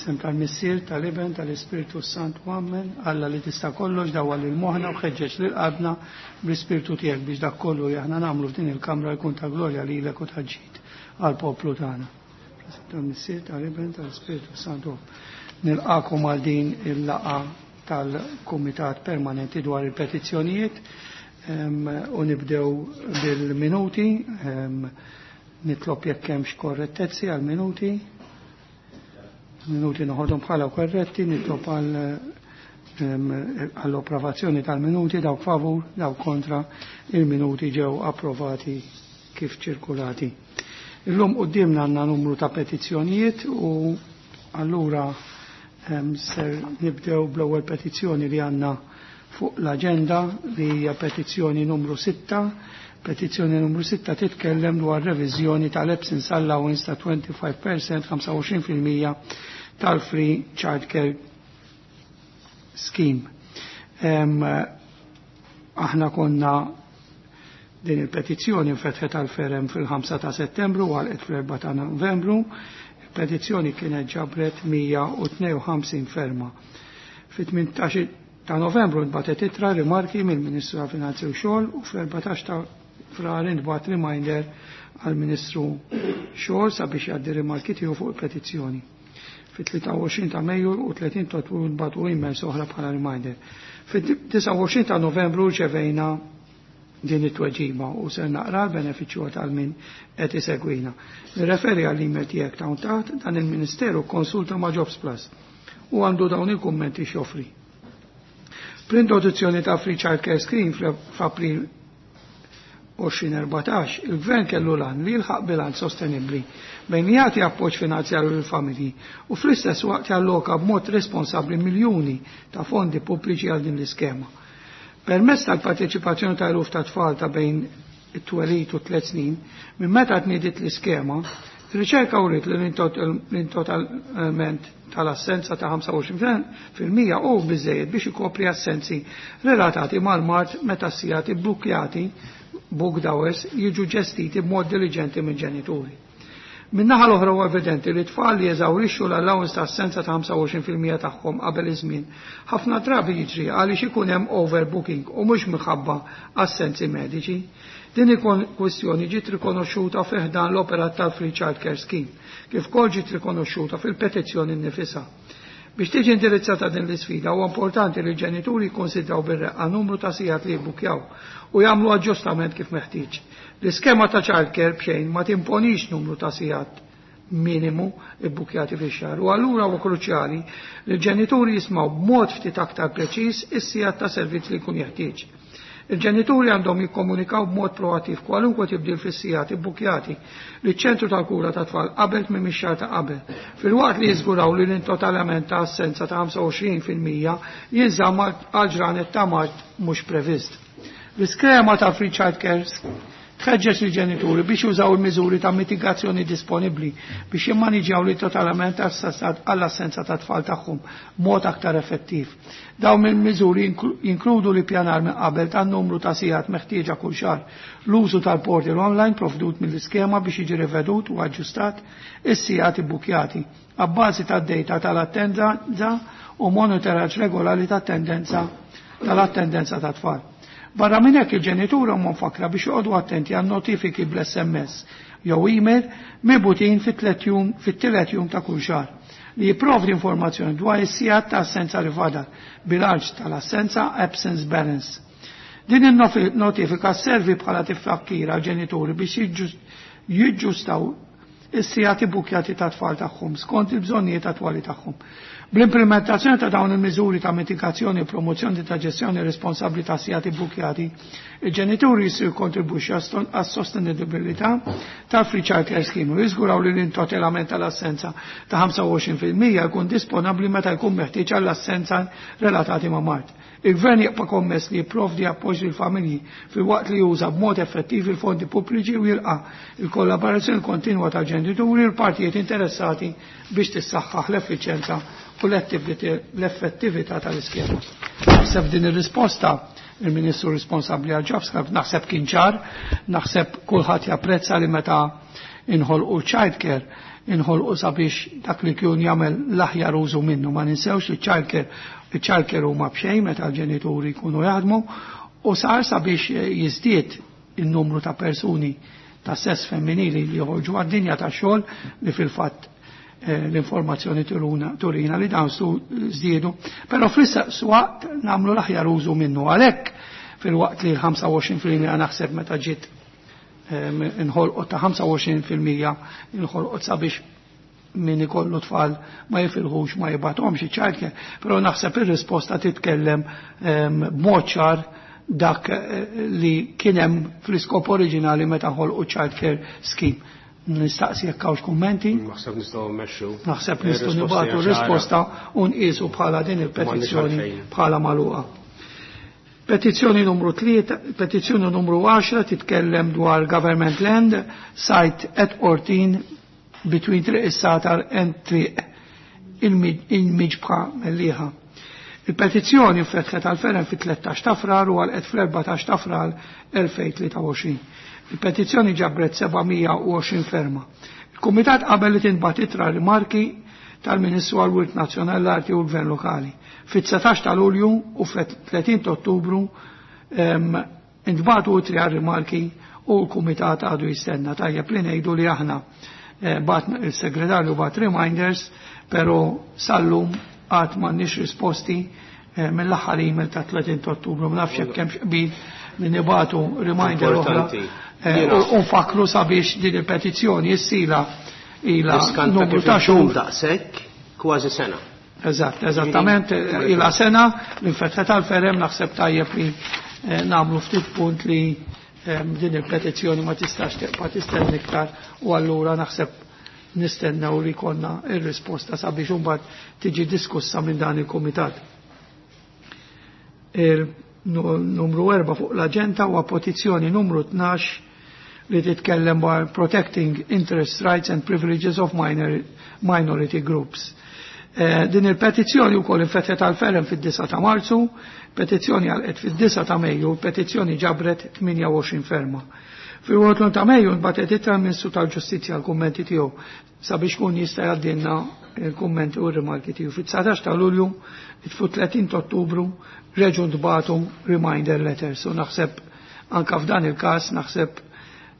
F'isem tal-Missier, tal-Iben, tal-Ispirtu Santu, Amen. Alla li tista' kollox dawwal lil moħħna u ħeġġeġ lil qalbna bl-Ispirtu tiegħek biex dak kollu li aħna nagħmlu f'din il-kamra jkun ta' glorja lilek u ta' ġid għall-poplu tagħna. F'isem tal-Missier, tal-Iben, tal-Ispirtu Santu. Nilqakom għal din il-laqgħa tal-Kumitat Permanenti dwar il-Petizzjonijiet u nibdew bil-minuti. Nitlob jekk hemmx korrettezzi għal-minuti. Minuti noħodhom bħala korretti, nitlob għall-approvazzjoni tal-minuti, dawk favur, dawk kontra, il-minuti ġew approvati kif ċirkulati. Illum qudiemna għandna numru ta' petizzjonijiet u allura ser nibdew bl-ewwel petizzjoni li għandna fuq l-aġenda, li hija petizzjoni numru 6. Petizzjoni numru 6 titkellem dwar reviżjoni tal-absence allowance ta' 25%, 25% tal-Free Childcare Scheme. Aħna konna din il-petizzjoni nfetħet għal-ferem fil-5 ta' settembru u għalqet fl-4 ta' novembru. Il-petizzjoni kienet ġabret 152 ferma. Fit-18 ta' novembru nbatet ittra rimarki mill-Ministru ta' Finanzi u Xogħol u fl-14 ta' Frar intbagħat reminder għall-Ministru Xogħol sabiex jgħaddi rimarki tiegħu fuq il-petizzjoni. Fit-23 ta' Mejju u 30 ta' Ottubru nbagħtu emails oħra bħala reminder. Fit-29 ta' Novembru rċevejna din it-tweġiba u ser naqra l-benefiċċju tal min qed isegwina. Nirreferi għall-email tiegħek ta' taħt dan il-Ministeru konsulta ma' Jobs Plus u għandu dawn il-kummenti x'joffri. Bl-introduzzjoni ta' Free Child Care Scheme f'April 2014, il-Gvern kellu lan li jilħaq bilanċ sostenibbli bejn li jagħti appoġġ finanzjarju lill-familji u fl-istess waqt jalloka b'mod responsabbli miljuni ta' fondi pubbliċi għal din l-iskema. Permezz tal-parteċipazzjoni ta' eluf ta' tfal ta' bejn it-twelid u 3 snin, minn meta tniediet l-iskema, riċerka uriet li l-intotalment tal-assenza ta' 25% u biżejjed biex ikopri assenzi relatati mal-mard meta s-sigħat ibbukkjati booked hours jiġu ġestiti b'mod diligenti minn ġenituri. Min-naħa l-oħra huwa evidenti li tfal li jeżawrixxu l-allowance ta' assenza ta' 25% tagħhom qabel iż-żmien ħafna drabi jiġri għaliex ikun hemm overbooking u mhux minħabba assenzi mediċi. Din il-kwistjoni ġiet rikonoxxuta fi ħdan l-operat tal-Free Child Care Scheme, kif ukoll ġiet rikonoxxuta fil-petizzjoni nnifisha. Biex tiġi indirizzata din l-isfida huwa importanti li l-ġenituri jikkonsidraw bir-reqqa numru ta' sigħat li jibbukjaw u jagħmlu aġġustament kif meħtieġ. L-iskema ta' childcare b'xejn ma timponix numru ta' sigħat minimu ibbukjati fix-xahar u allura huwa kruċjali li l-ġenituri jismgħu b'mod ftit aktar preċiż is-sigħat ta' servizz li jkun jeħtieġ. Il-ġenituri għandhom jikkomunikaw b'mod proattiv kwalunkwe tibdil fis-sigħat ibbukjati liċ-ċentru tal-kura ta' tfal qabel tmiem ix-xahar ta' qabel, filwaqt li jiżguraw li l-intotalament ta' assenza ta' 25% jinżamm għal ġranet ta' mard mhux previst. L-iskema ta' Free Child Care tħeġġeġ il-ġenituri biex jużaw il-miżuri ta' mitigazzjoni disponibbli biex jimmaniġjaw li totalament għall-assenza ta' tfal tagħhom b'mod aktar effettiv. Dawn il-miżuri jinkludu li pjanar minn qabel tan numru ta' sigħat meħtieġa kull xahar, l-użu tal-portal online provdut mill-iskema biex jiġi rivedut u aġġustat is-sigħat ibbukjati abbażi tad-data tal-attendenza u monitoraġġ regolari tat-tendenza tal-attendenza ta' tfal. Barra minn hekk il-ġenituri huma mfakkra biex joqogħdu attenti għal notifiki bl-SMS jew email mibgħutin fit-tielet jum ta' kull xahar li jipprovdi informazzjoni dwar is-sigħat ta' assenza li fadal, bilanċ tal-assenza absence balance. Din il-notifika servi bħala tifakkira għal ġenituri biex jiġġustaw is-sigħat ibbukjati ta' tfal tagħhom skont il-bżonnijiet attwali tagħhom. Bl-implementazzjoni ta' dawn il-miżuri ta' mitigazzjoni u promozzjoni ta' ġestjoni responsabbli ta' sigħat ibbukjati, il-ġenituri jistgħu jikkontribwixxu għas-sostenibilità tal-Free Child Care Scheme u jiżguraw li l-intotelament tal-assenza ta' 25% jkun disponibbli meta jkun meħtieġ għall-assenza relatati ma' mard. Il-Gvern jibqa' kommess li jipprovdi appoġġ lill-familji filwaqt li juża b'mod effettiv il-fondi pubbliċi u jilqa' il-kollaborazzjoni kontinwa tal-ġenituri u l-partijiet interessati biex tissaħħaħ l-effiċjenza u l-effettività tal-iskema. Naħseb din ir-risposta il-Ministru responsabbli għal Jobs naħseb kien ċar, naħseb kulħadd japprezza li meta inħolqu child care, inħolqu sabiex dak li kien jagħmel l-aħjar użu minnu. Ma ninsewx li child care, il-child care huma b'xejn meta l-ġenituri jkunu jaħdmu u sar sabiex jiżdied il-numru ta' persuni ta' sess femminili li joħorġu għad-dinja ta' xogħol li fil-fatt l-informazzjoni turina li dawn żdiedu, però fl-istess waqt nagħmlu l-aħjar użu minnu. Għalhekk fil-waqt li l-25% naħseb meta ġiet inħolqot ta' 25% inħolqot sabiex min ikollu tfal ma jifilħux ma jibgħathomx iċ-childcare, però naħseb ir-risposta titkellem b'mod ċar dak li kien hemm fl-iskop oriġinali meta ħolqu childcare scheme. Nistaqsi jekk hawnx kummenti. Naħseb nistgħu mmexxu. Naħseb nistgħu nibgħatu risposta u nqisu bħala din il-petizzjoni bħala magħluqa. Petizzjoni numru 3, petizzjoni numru 10 titkellem dwar government land site at 14 between Triq is-Satar and Triq il-Miġbħa Mellieħa. Il-petizzjoni fetħet għal-ferem fit-13 ta' Frar u għalqet fl-14 ta' Frar 2023. Il-petizzjoni ġabret 720 ferma. Il-Kumitat qabel li tinbagħat ittra rimarki tal-Ministru għal-Wirt Nazzjonali l-Arti u l-Gvern Lokali. Fit-19 ta' Lulju u fit-30 ta' Ottubru intbagħtu ittri għal rimarki u l-Kumitat għadu jistenna. Tajjeb li ngħidu li aħna bat il-segretarju bat reminders, pero sallum għad m'għandniex risposti mill-aħħar email ta' 30 ta' Ottubru. Ma nafx jekk hemmx qbil li nibatu reminder oħra. U nfakru sabiex din il-petizzjoni issila ila numru ta' xhur. Daqshekk kważi sena. Eżatt, eżattament, ila sena l-infetħet għal-ferem naħseb tajjeb li nagħmlu ftit punt li din il-petizzjoni ma tistax tibqa' tistenna iktar u allura naħseb nistennew li konna ir-risposta sabiex imbagħad tiġi diskussa minn dan il-kumitat. Il-numru 4 fuq l-aġenda huwa petizzjoni numru 12 li titkellem dwar Protecting Interest Rights and Privileges of Minority Groups. Din il-petizzjoni wkoll infetħet għal-ferem fid-9 ta' Marzu, petizzjoni għalqet fid-9 ta' Mejju, petizzjoni ġabret 28 ferma. Fil-21 ta' Mejju nbatet ittra l-Ministru tal-Ġustizzja l-kummenti tiegħu sabiex kun jista' jgħaddilna il-kummenti u r-rimarki tiegħu. Fit-19 ta' Lulju, fu 30 ta' Ottubru, reġgħu ntbagħtu reminder letters. U naħseb anka f'dan il-każ naħseb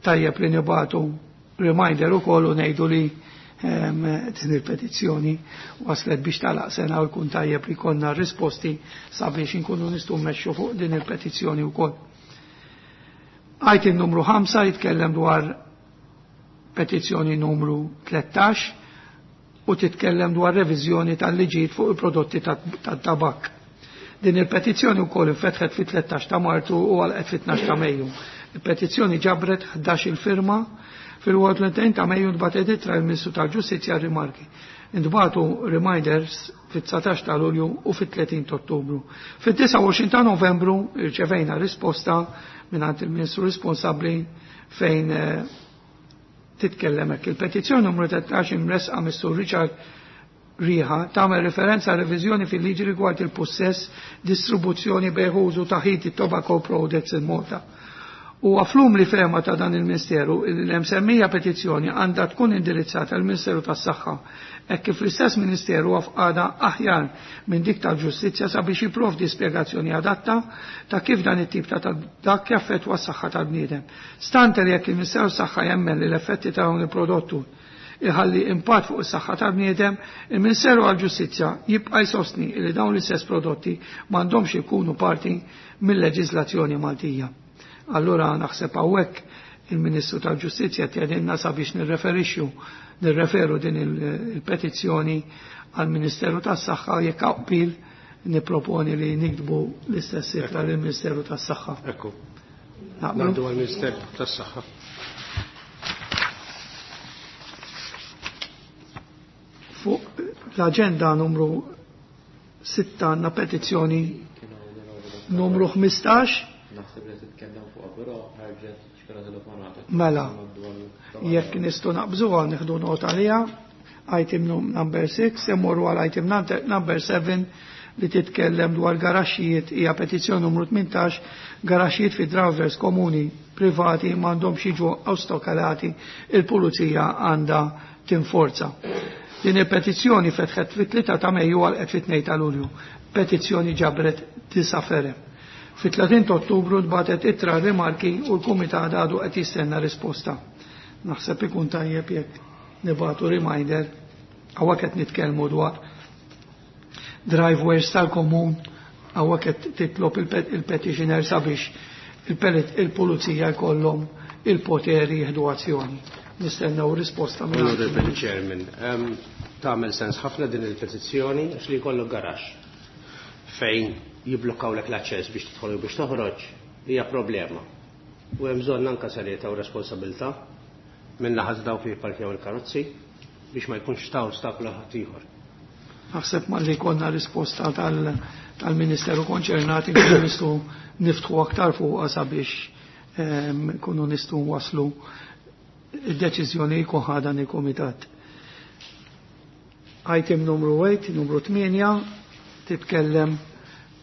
tajjeb li nibagħtu reminder ukoll u ngħidu li din il-petizzjoni waslet biex talaq sena u jkun tajjeb li konna risposti sabiex inkunu nistgħu mmexxu fuq din il-petizzjoni wkoll. Item numru 5 jitkellem dwar petizzjoni numru 13 u titkellem dwar reviżjoni tal-liġijiet fuq il-prodotti tat-tabak. Din il-petizzjoni wkoll infetħet fit-13 ta' Martu u għalqet fit-12 ta' Mejju. Il-petizzjoni ġabret 11 il-firma. Fil-21 ta' Mejju ntbagħtet ittra l-Ministru tal-Ġustizzja rimarki. Intbagħtu reminders fit-19 ta' Lulju u fit-30 ta' Ottubru. Fit-29 ta' Novembru irċevejna risposta mingħand il-Ministru responsabbli fejn titkellem hekk. Il-petizzjoni numru 13 imresqa mis-Sur Richard Riħa tagħmel referenza għal reviżjoni fil-liġi rigward il-pussess, distribuzzjoni, bejgħ u użu ta' heated tobacco products in Malta. U għaflum li fema ta' dan il-Ministeru, l-msemmija petizzjoni għandha tkun indirizzata għal Ministeru tas-Saħħa, hekk kif l-istess Ministeru għafqada aħjar minn dik tal-Ġustizzja sabiex jipprovdi spjegazzjoni adatta ta' kif dan it-tip ta' dak jaffettwa s-saħħa tal-bniedem. Stante li jekk il-Ministeru tas-Saħħa jemmen li l-effetti ta' dawn il-prodottu iħalli impatt fuq is-saħħa tal-bniedem, il-Ministeru għall-Ġustizzja jibqa' jsostni li dawn l-istess prodotti m'għandhomx ikunu parti mill-leġiżlazzjoni Maltija. Allura naħseb hawnhekk il-Ministru tal-Ġustizzja tjedinna sabiex nirreferu din il-petizzjoni għall-Ministeru tas-Saħħa jekk qbil nipproponi li nikdbu l-istess ittra lill-Ministeru tas-Saħħa. Ekku. Ngħaddu għall-Ministeru tas-Saħħa. Fuq l-aġenda numru 6 għandna petizzjoni numru 15. Naħseb li titkellem fuq però ħarġet xkara telefonata. Mela, jekk nistgħu naqbżuha nieħdu nota għaliha. Item number 6, immorru għal item number 7 li titkellem dwar garaxxijiet hija petizzjoni numru 18 garaxxijiet fi drivers komuni privati m'għandhomx jiġu ostakolati, il-pulizija għandha tinforza. Din il-petizzjoni fetħet fit-3 ta' Mejju għal fit-2 ta' Lulju. Petizzjoni ġabret 9 ferem. Fit-30 ta' Ottubru tbatet ittra rimarki u l-Kumitat għadu qed jistenna risposta. Naħseb ikun tajjeb jekk nibatu reminder hawnhekk qed nitkellmu dwar driveways tal-komun hawnhekk qed titlob il-petitioner sabiex il-pulizija jkollhom il-poteri jieħdu azzjoni. Nistennew risposta minn Honorable Chairman, tagħmel sens ħafna din il-petizzjoni għax li jkollok garaxx fejn jiblokkawlek l-aċċess biex tidħol u biex toħroġ hija problema. U hemm bżonn anke serjetà u responsabilità minn naħa dawk li jipparkjaw il-karozzi biex ma jkunx ta' ostaklu ħadd ieħor. Naħseb ma li konna risposta tal-Ministeru konċernat inkunu nistgħu niftħu aktar fuqha sabiex kunu nistgħu waslu id-deċiżjoni jkun ħa dan il-kumitat. Item numru 8, numru 8, titkellem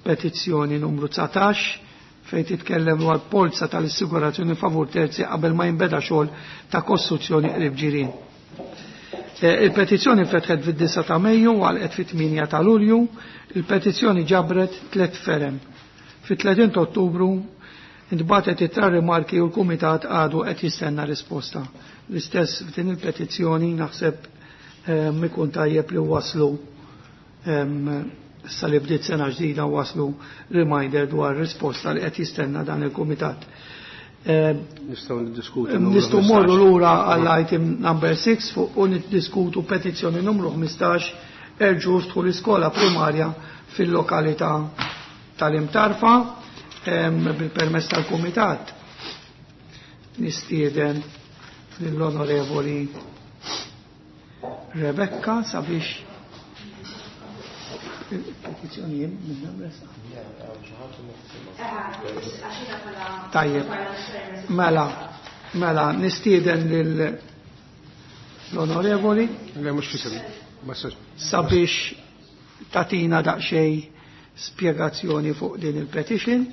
petizzjoni numru 19 fejn titkellem dwar polza tal-assigurazzjoni favur terzi qabel ma jinbeda xogħol ta' kostruzzjoni qrib ġirien. Il-petizzjoni fetħet fid-9 ta' Mejju u għalqet fit-8 ta' Lulju, il-petizzjoni ġabret 3 ferem. Fit-30 ta' Ottubru intbatet ittra rimarki u l-Kumitat għadu qed jistenna risposta. L-istess f'din il-petizzjoni naħseb ikun tajjeb li waslu issa li bdiet sena ġdida waslu reminder dwar risposta li qed jistenna dan il-Kumitat. Nistgħu niddiskutu. Nistgħu morru lura għall item number 6 fuq u niddiskutu petizzjoni numru 15 erġu ftħu l-iskola primarja fil-lokalità tal-Imtarfa bil-permess tal-Kumitat. Nistieden lill-Onorevoli Rebecca sabiex il-petizzjoni minna mresa. Tajjeb, mela, nistieden lil l-onorevoli Le mhux fisem. Sabiex tatina daqsxejn spjegazzjoni fuq din il-petition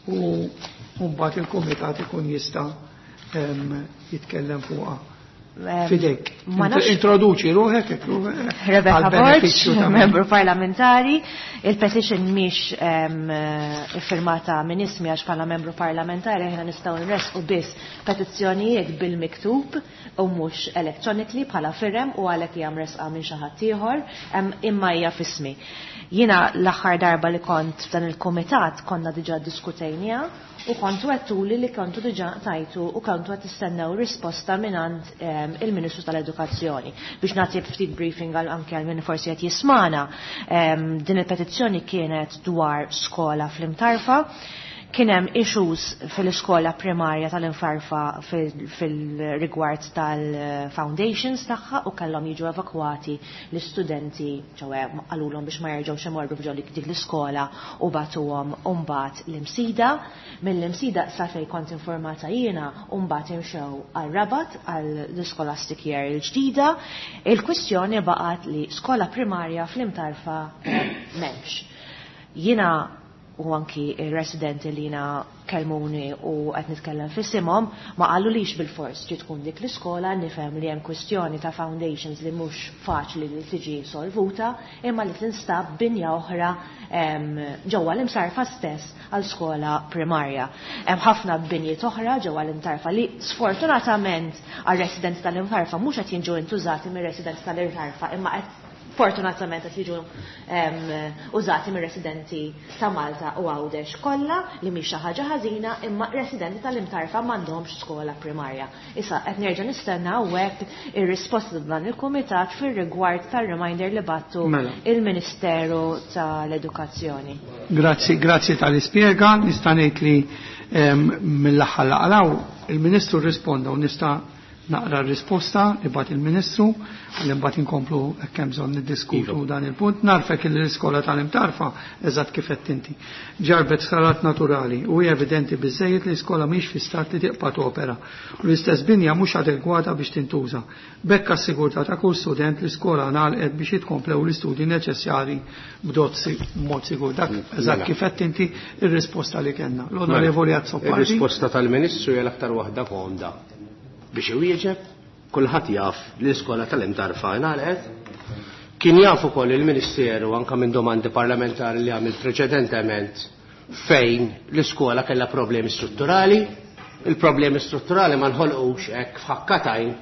u mbagħad il-kumitat ikun jista' jitkellem fuqha. Fidejk. Ma nafx- Introduċi ruħek, hekk Rebecca għal benefiċċju Borg, ta' min. membru parlamentari. Il-petition mhix iffirmata minn ismi għax bħala membru parlamentari aħna nistgħu nresqu biss petizzjonijiet bil-miktub u mhux electronically bħala firem u għalhekk hija mresqa minn xi ħadd ieħor, imma hija f'ismi. Jiena l-aħħar darba li kont f'dan il-kumitat konna diġà diskutejniha u kontu għedtuli li kontu diġà tajtu u kontu qed tistennew risposta mingħand il-Ministru tal-Edukazzjoni. Biex nagħti ftit briefing għal anke għal min forsi qed jismana, din il-petizzjoni kienet dwar skola fl-Imtarfa. Kien hemm issues fil-iskola primarja tal-Imtarfa fil-rigward tal-foundations tagħha u kellhom jiġu evakwati l-istudenti, ċoè qalulhom biex ma jerġgħux imorru f'ġo dik l-iskola u batuhom mbagħad l-Imsida. Mill-Imsida sa fejn kont informata jiena u mbagħad imxew għal-Rabat għall-scholastic year il-ġdida. Il-kwistjoni baqgħet li skola primarja fl-Imtarfa m'hemmx. Jiena u anki il-residenti li jina kelmuni u qed nitkellem f'isimhom ma qalulix bil-fors ġi tkun dik l-iskola, nifhem li hemm kwistjoni ta' foundations li mhux faċli li tiġi solvuta, imma li tinstab binja oħra ġewwa l-Imtarfa stess għal skola primarja. Hemm ħafna binjiet oħra ġewwa l-Imtarfa li sfortunatament għar-residenti tal-Imtarfa mhux qed jiġu intużati mir-residenti tal-Imtarfa, imma qed fortunatament qed jiġu użati mir-residenti ta' Malta u Għawdex kollha, li mhix xi ħaġa ħażina, imma residenti tal-Imtarfa m'għandhomx skola primarja. Issa qed nerġa' nistenna hawnhekk ir-risposta ta' dan il-kumitat fir-rigward tar-reminder li battu il-Ministeru tal-Edukazzjoni. Grazzi, grazzi tal-ispjega. Nista' ngħid li mill-aħħar laqgħa il-Ministru rrisponda u nista' Naqra r-risposta li bagħat il-Ministru, għalli mbagħad inkomplu hekk hemm bżonn niddiskutu dan il-punt. Narfek li l-iskola tal-Imtarfa eżatt kif qed inti. Ġarbet sarat naturali u hija evidenti biżejjed li l-iskola mhix fi stat li tibqa' topera u l-istess binja mhux adegwata biex tintuża. B'hekk għas-sigurtà ta' kull student l-iskola ngħalqet biex jitkomplew l-istudji neċessarji b'mod sigur. Dak eżatt kif qed inti ir-risposta li kellna. L-Onorevoli Azzopardi. Ir-risposta tal-Ministru hija l-aktar waħda komda. Biex iwieġeb, kulħadd jaf li l-iskola tal-Imtarfa ngħalqet. Kien jaf ukoll il-Ministeru anke minn domandi parlamentari li għamil preċedentement fejn l-iskola kellha problemi strutturali. Il-problemi strutturali ma nħolqux hekk f'ħakkatajn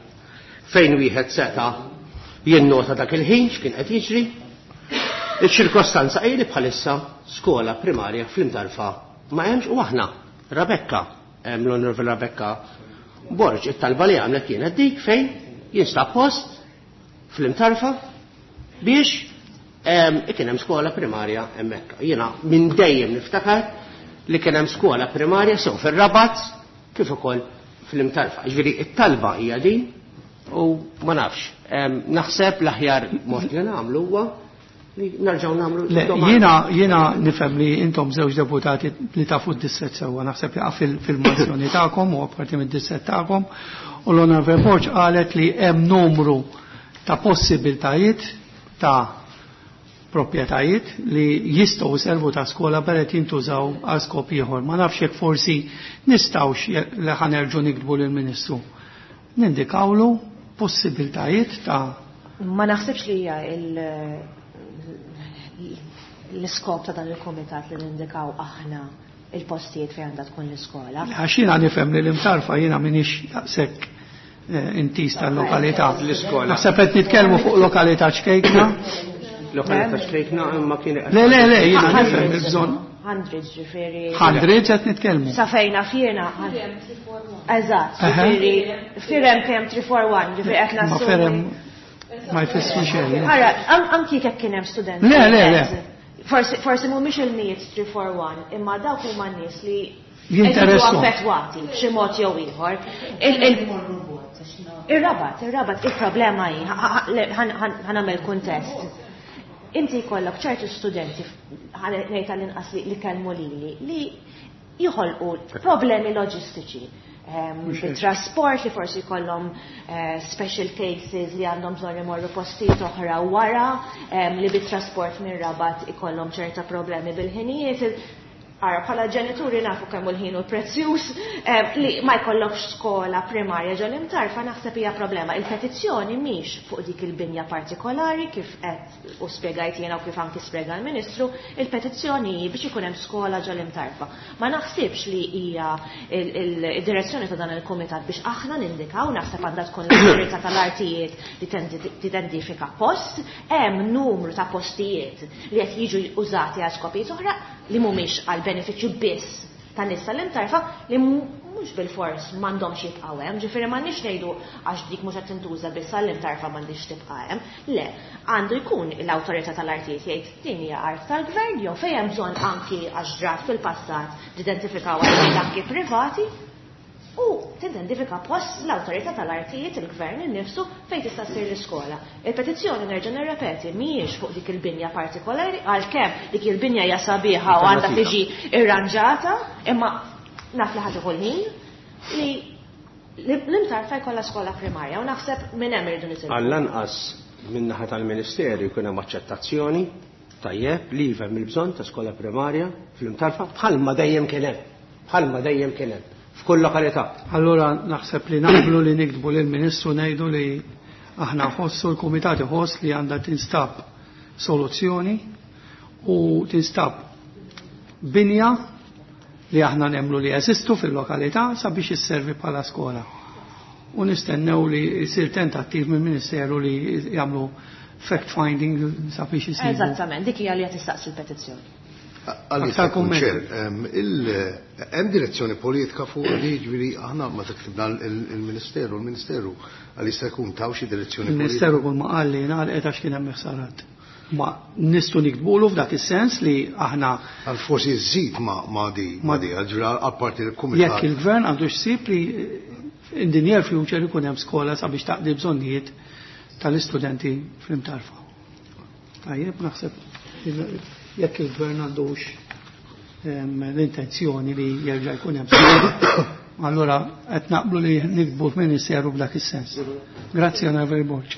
fejn wieħed seta' jinnota dak il-ħin x'kien qed jiġri. Iċ-ċirkostanza hi li bħalissa skola primarja fl-Imtarfa ma hemmx u aħna Rebecca, l-Onorevoli Rebecca Borg, it-talba li għamlet kienet dik fejn jinstab post fl-Imtarfa biex kien hemm skola primarja hemmhekk. Jiena minn dejjem niftakar li kien hemm skola primarja sew fir-Rabat kif ukoll fl-Imtarfa. Ġifieri it-talba hija din u ma nafx. Naħseb l-aħjar mod li nagħmlu huwa li nerġgħu nagħmlu Le, jiena nifhem li intom żewġ deputati li tafu d-distret sewwa, naħseb jaqa' fil-mozzjoni tagħkom u apparti mid-distret tagħkom, u l-Onorevoli Borg qalet li hemm numru ta' possibiltajiet ta' proprjetajiet li jistgħu servu ta' skola beret jintużaw għal skop ieħor. Ma nafx jekk forsi nistgħux li ħanerġu niktbu lill-Ministru. Nindikawlu possibiltajiet ta' Ma naħsibx li hija l-iskop ta' dan il-komitat li nindikaw aħna il-postijiet fejn għandha tkun l-iskola. Għax jiena nifhem li l-Imtarfa jiena m'iniex daqshekk intis tal-lokalità. L-iskola. Naħseb qed nitkellmu fuq lokalità ċkejkna. Lokalità ċkejkna imma kien Le, le, le, jiena nifhem il-bżonn. Hundreds, ġifieri. Hundreds qed nitkellmu. Sa fejna fjena. Eżatt, ġifieri firem kemm 341, ġifieri qed Ma nassumi. firem ma jfissru xejn. Ara, anki jekk kien hemm studenti. Le, le, le. Forsi mhumiex il-mijiet 341, imma dawk huma n-nies li Jinteressu. affettwati b'xi mod jew ieħor. Ir-Rabat, ir-Rabat, il-problema hi, ħanamel kuntest. Inti jkollok ċertu studenti, ngħid tal-inqas li kellmu lili, li jħolqu problemi loġistiċi. Bit-trasport li forsi jkollhom special cases li għandhom bżonn imorru postijiet oħra wara, li bit-trasport mir-Rabat ikollhom ċerta problemi bil-ħinijiet. Ara, bħala ġenituri nafu kemm hu l-ħin u prezzjuż, li ma jkollokx skola primarja ġol Imtarfa naħseb hija problema. Il-petizzjoni mhix fuq dik il-binja partikolari kif qed u spjegajt jiena u kif anki spjega l-Ministru, il-petizzjoni hi biex ikun hemm skola ġol Imtarfa. Ma naħsibx li hija id-direzzjoni ta' dan il-kumitat biex aħna nindikaw, naħseb għandha tkun l-awtorità tal-artijiet li tidentifika post, hemm numru ta' postijiet li qed jiġu użati għal skopijiet oħra li mhumiex għal benefiċċju biss ta' nies tal-Imtarfa li mhux bil-fors m'għandhomx jibqgħu hemm, ġifieri m'għandniex ngħidu għax dik mhux qed tintuża biss għall-Imtarfa m'għandix tibqa' hemm. Le, għandu jkun l-awtorità tal-artijiet jgħid din hija art tal-gvern jew fejn hemm bżonn anki għax ġrat fil-passat tidentifikaw artijiet anki privati u tidentifika post l-awtorità tal-artijiet il-gvern innifsu fejn tista' ssir l-iskola. Il-petizzjoni nerġa' nirrepeti mhijiex fuq dik il-binja partikolari, għalkemm dik il-binja hija sabiħa u għandha tiġi irranġata, imma naf li ħadd ukoll ħin li l-Imtarfa jkollha skola primarja u naħseb minn hemm irridu nitilqu. Għall-anqas min-naħa tal-Ministeru jkun hemm aċċettazzjoni tajjeb li jifhem il-bżonn ta' skola primarja fl-Imtarfa bħalma dejjem kien hemm, bħalma dejjem kien hemm f'kull lokalità. Allora naħseb li naqblu li niktbu lill-Ministru ngħidu li aħna nħossu l-Kumitat iħoss li għandha tinstab soluzzjoni u tinstab binja li aħna nemmnu li jeżistu fil-lokalità sabiex isservi bħala skola. U nistennew li jsir tentattiv mill-Ministeru li jagħmlu fact finding sabiex isibu. Eżattament, dik hija li qed tistaqsi l-petizzjoni. Għalli Aktar tkun kumment. ċer, hemm direzzjoni politika fuq li ġifieri aħna ma taktibna il-Ministeru, il-Ministeru għal jista' jkun taw xi direzzjoni politika. Il-Ministeru kull ma qal li ngħalqet għax kien hemm ħsarat. Ma nistgħu nikbulu f'dak is-sens li aħna Għal forsi żżid ma di, ma di, għal ġifieri għal parti l-kumitat. Jekk il-gvern għandu xsib li in the near future ikun hemm skola sabiex taqdi bżonnijiet tal-istudenti fl-Imtarfa. Tajjeb, naħseb jekk il-gvern għandux l-intenzjoni li jerġa' jkun hemm skola, allura qed naqblu li nikbu f'Ministeru b'dak is-sens. Grazzi, Onorevoli Borg.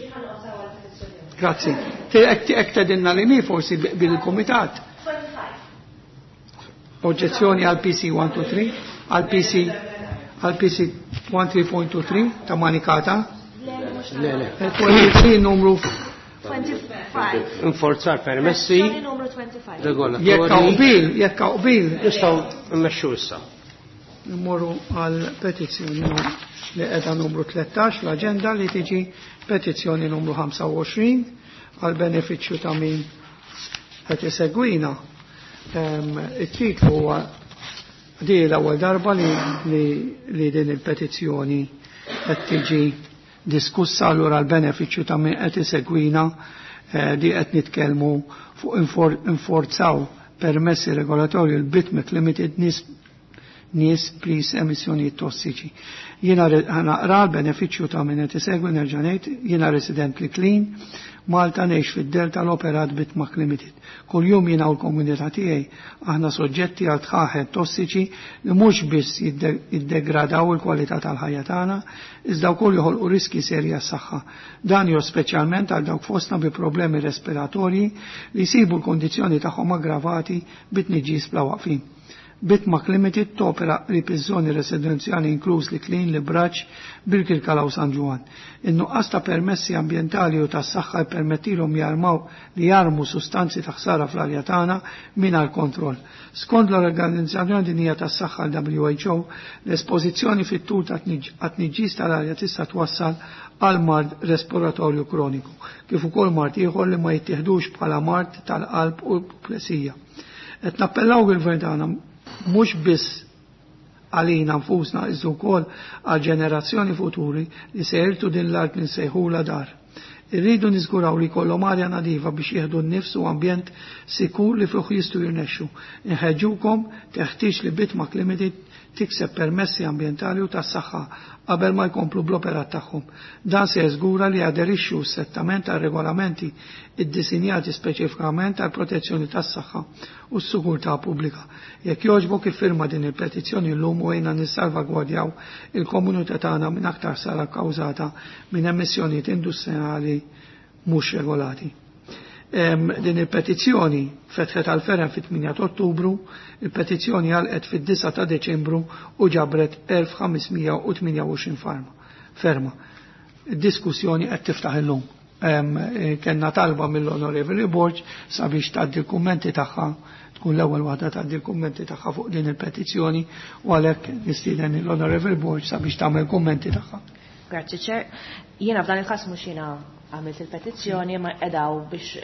Grazzi. Hekk tedinna li mi forsi bil-kumitat. Oġġezzjoni għal PC 123, għal PC għal PC 13.23 ta' Manikata. Le, le. 23 numru 25. Inforzar permessi Petizzjoni numru 25. jekk regolatorji. qbil, jekk qbil, Nistgħu mmexxu issa. Immorru għal petizzjoni li qiegħda numru 13 l-aġenda li tiġi petizzjoni numru 25 għal benefiċċju ta' min qed isegwina. It-titlu huwa di l-ewwel darba li, li, li din il-petizzjoni qed tiġi diskussa allura l-benefiċċju ta' min qed isegwina di qed nitkellmu fuq inforzaw permessi regolatorju l-Bitmek Limited nies nies plis emissjonijiet tossiċi. Jiena naqra l-benefiċċju ta' min qed isegwi nerġa' ngħid, jiena resident li clean, Malta ngħix fid-delta l-operat Bitmak Limited. Kuljum jiena u l-komunità tiegħi aħna soġġetti għal tħaħet tossiċi li mhux biss jiddegradaw il-kwalità tal-ħajja tagħna, iżda wkoll joħolqu riski serji għas-saħħa. Dan jo speċjalment għal dawk fostna bi problemi respiratorji li jsibu l-kondizzjoni tagħhom aggravati bit-tniġġis bla waqfin. Bitmak Limited topera qrib iż-żoni residenzjali inkluż li Klin, li Braċ, Birkirkara u San Ġwann. In-nuqqas ta' permessi ambjentali u tas-saħħa jpermettilhom jarmaw li jarmu sustanzi ta' ħsara fl-arja tagħna mingħajr kontroll. Skont l-Organizzazzjoni Dinjija tas-Saħħa l-WHO, l-espożizzjoni fit-tul ta' tniġġis tal-arja tista' twassal għal mard respiratorju kroniku, kif ukoll mard ieħor li ma jittieħdux bħala mard tal-qalb u plesija. Qed nappellaw il-gvern tagħna mhux biss għalina nfusna iżda wkoll għal ġenerazzjoni futuri li se jirtu din l-art li nsejħula dar. Irridu niżguraw li jkollhom arja nadifa biex jieħdu n-nifs u ambjent sikur li fih jistgħu jirnexxu. Inħeġġukom teħtieġ li Bitmak Limited tikseb permessi ambjentali u tas-saħħa qabel ma jkomplu bl-operat tagħhom. Dan se jeżgura li jaderixxu strettament għal regolamenti iddisinjati speċifikament għal protezzjoni tas-saħħa u s-sigurtà pubblika. Jekk jogħġbok iffirma din il-petizzjoni llum u għejna nissalvagwardjaw il-komunità tagħna minn aktar sara kkawżata minn emissjonijiet industrijali mhux regolati. Din il-petizzjoni fetħet għal ferem fit-8 ta' Ottubru, il-petizzjoni għalqet fid-9 ta' Deċembru u ġabret 1528 ferma. Id-diskussjoni qed tiftaħ illum. Kenna talba mill-Onorevoli Borg sabiex tgħaddi l-kummenti tagħha, tkun l-ewwel waħda tgħaddi l-kummenti tagħha fuq din il-petizzjoni u għalhekk nistieden l-Onorevoli Borg sabiex tagħmel kummenti tagħha. Grazzi Chair. Jiena f'dan il-każ mhux jiena għamilt il-petizzjoni ma edaw biex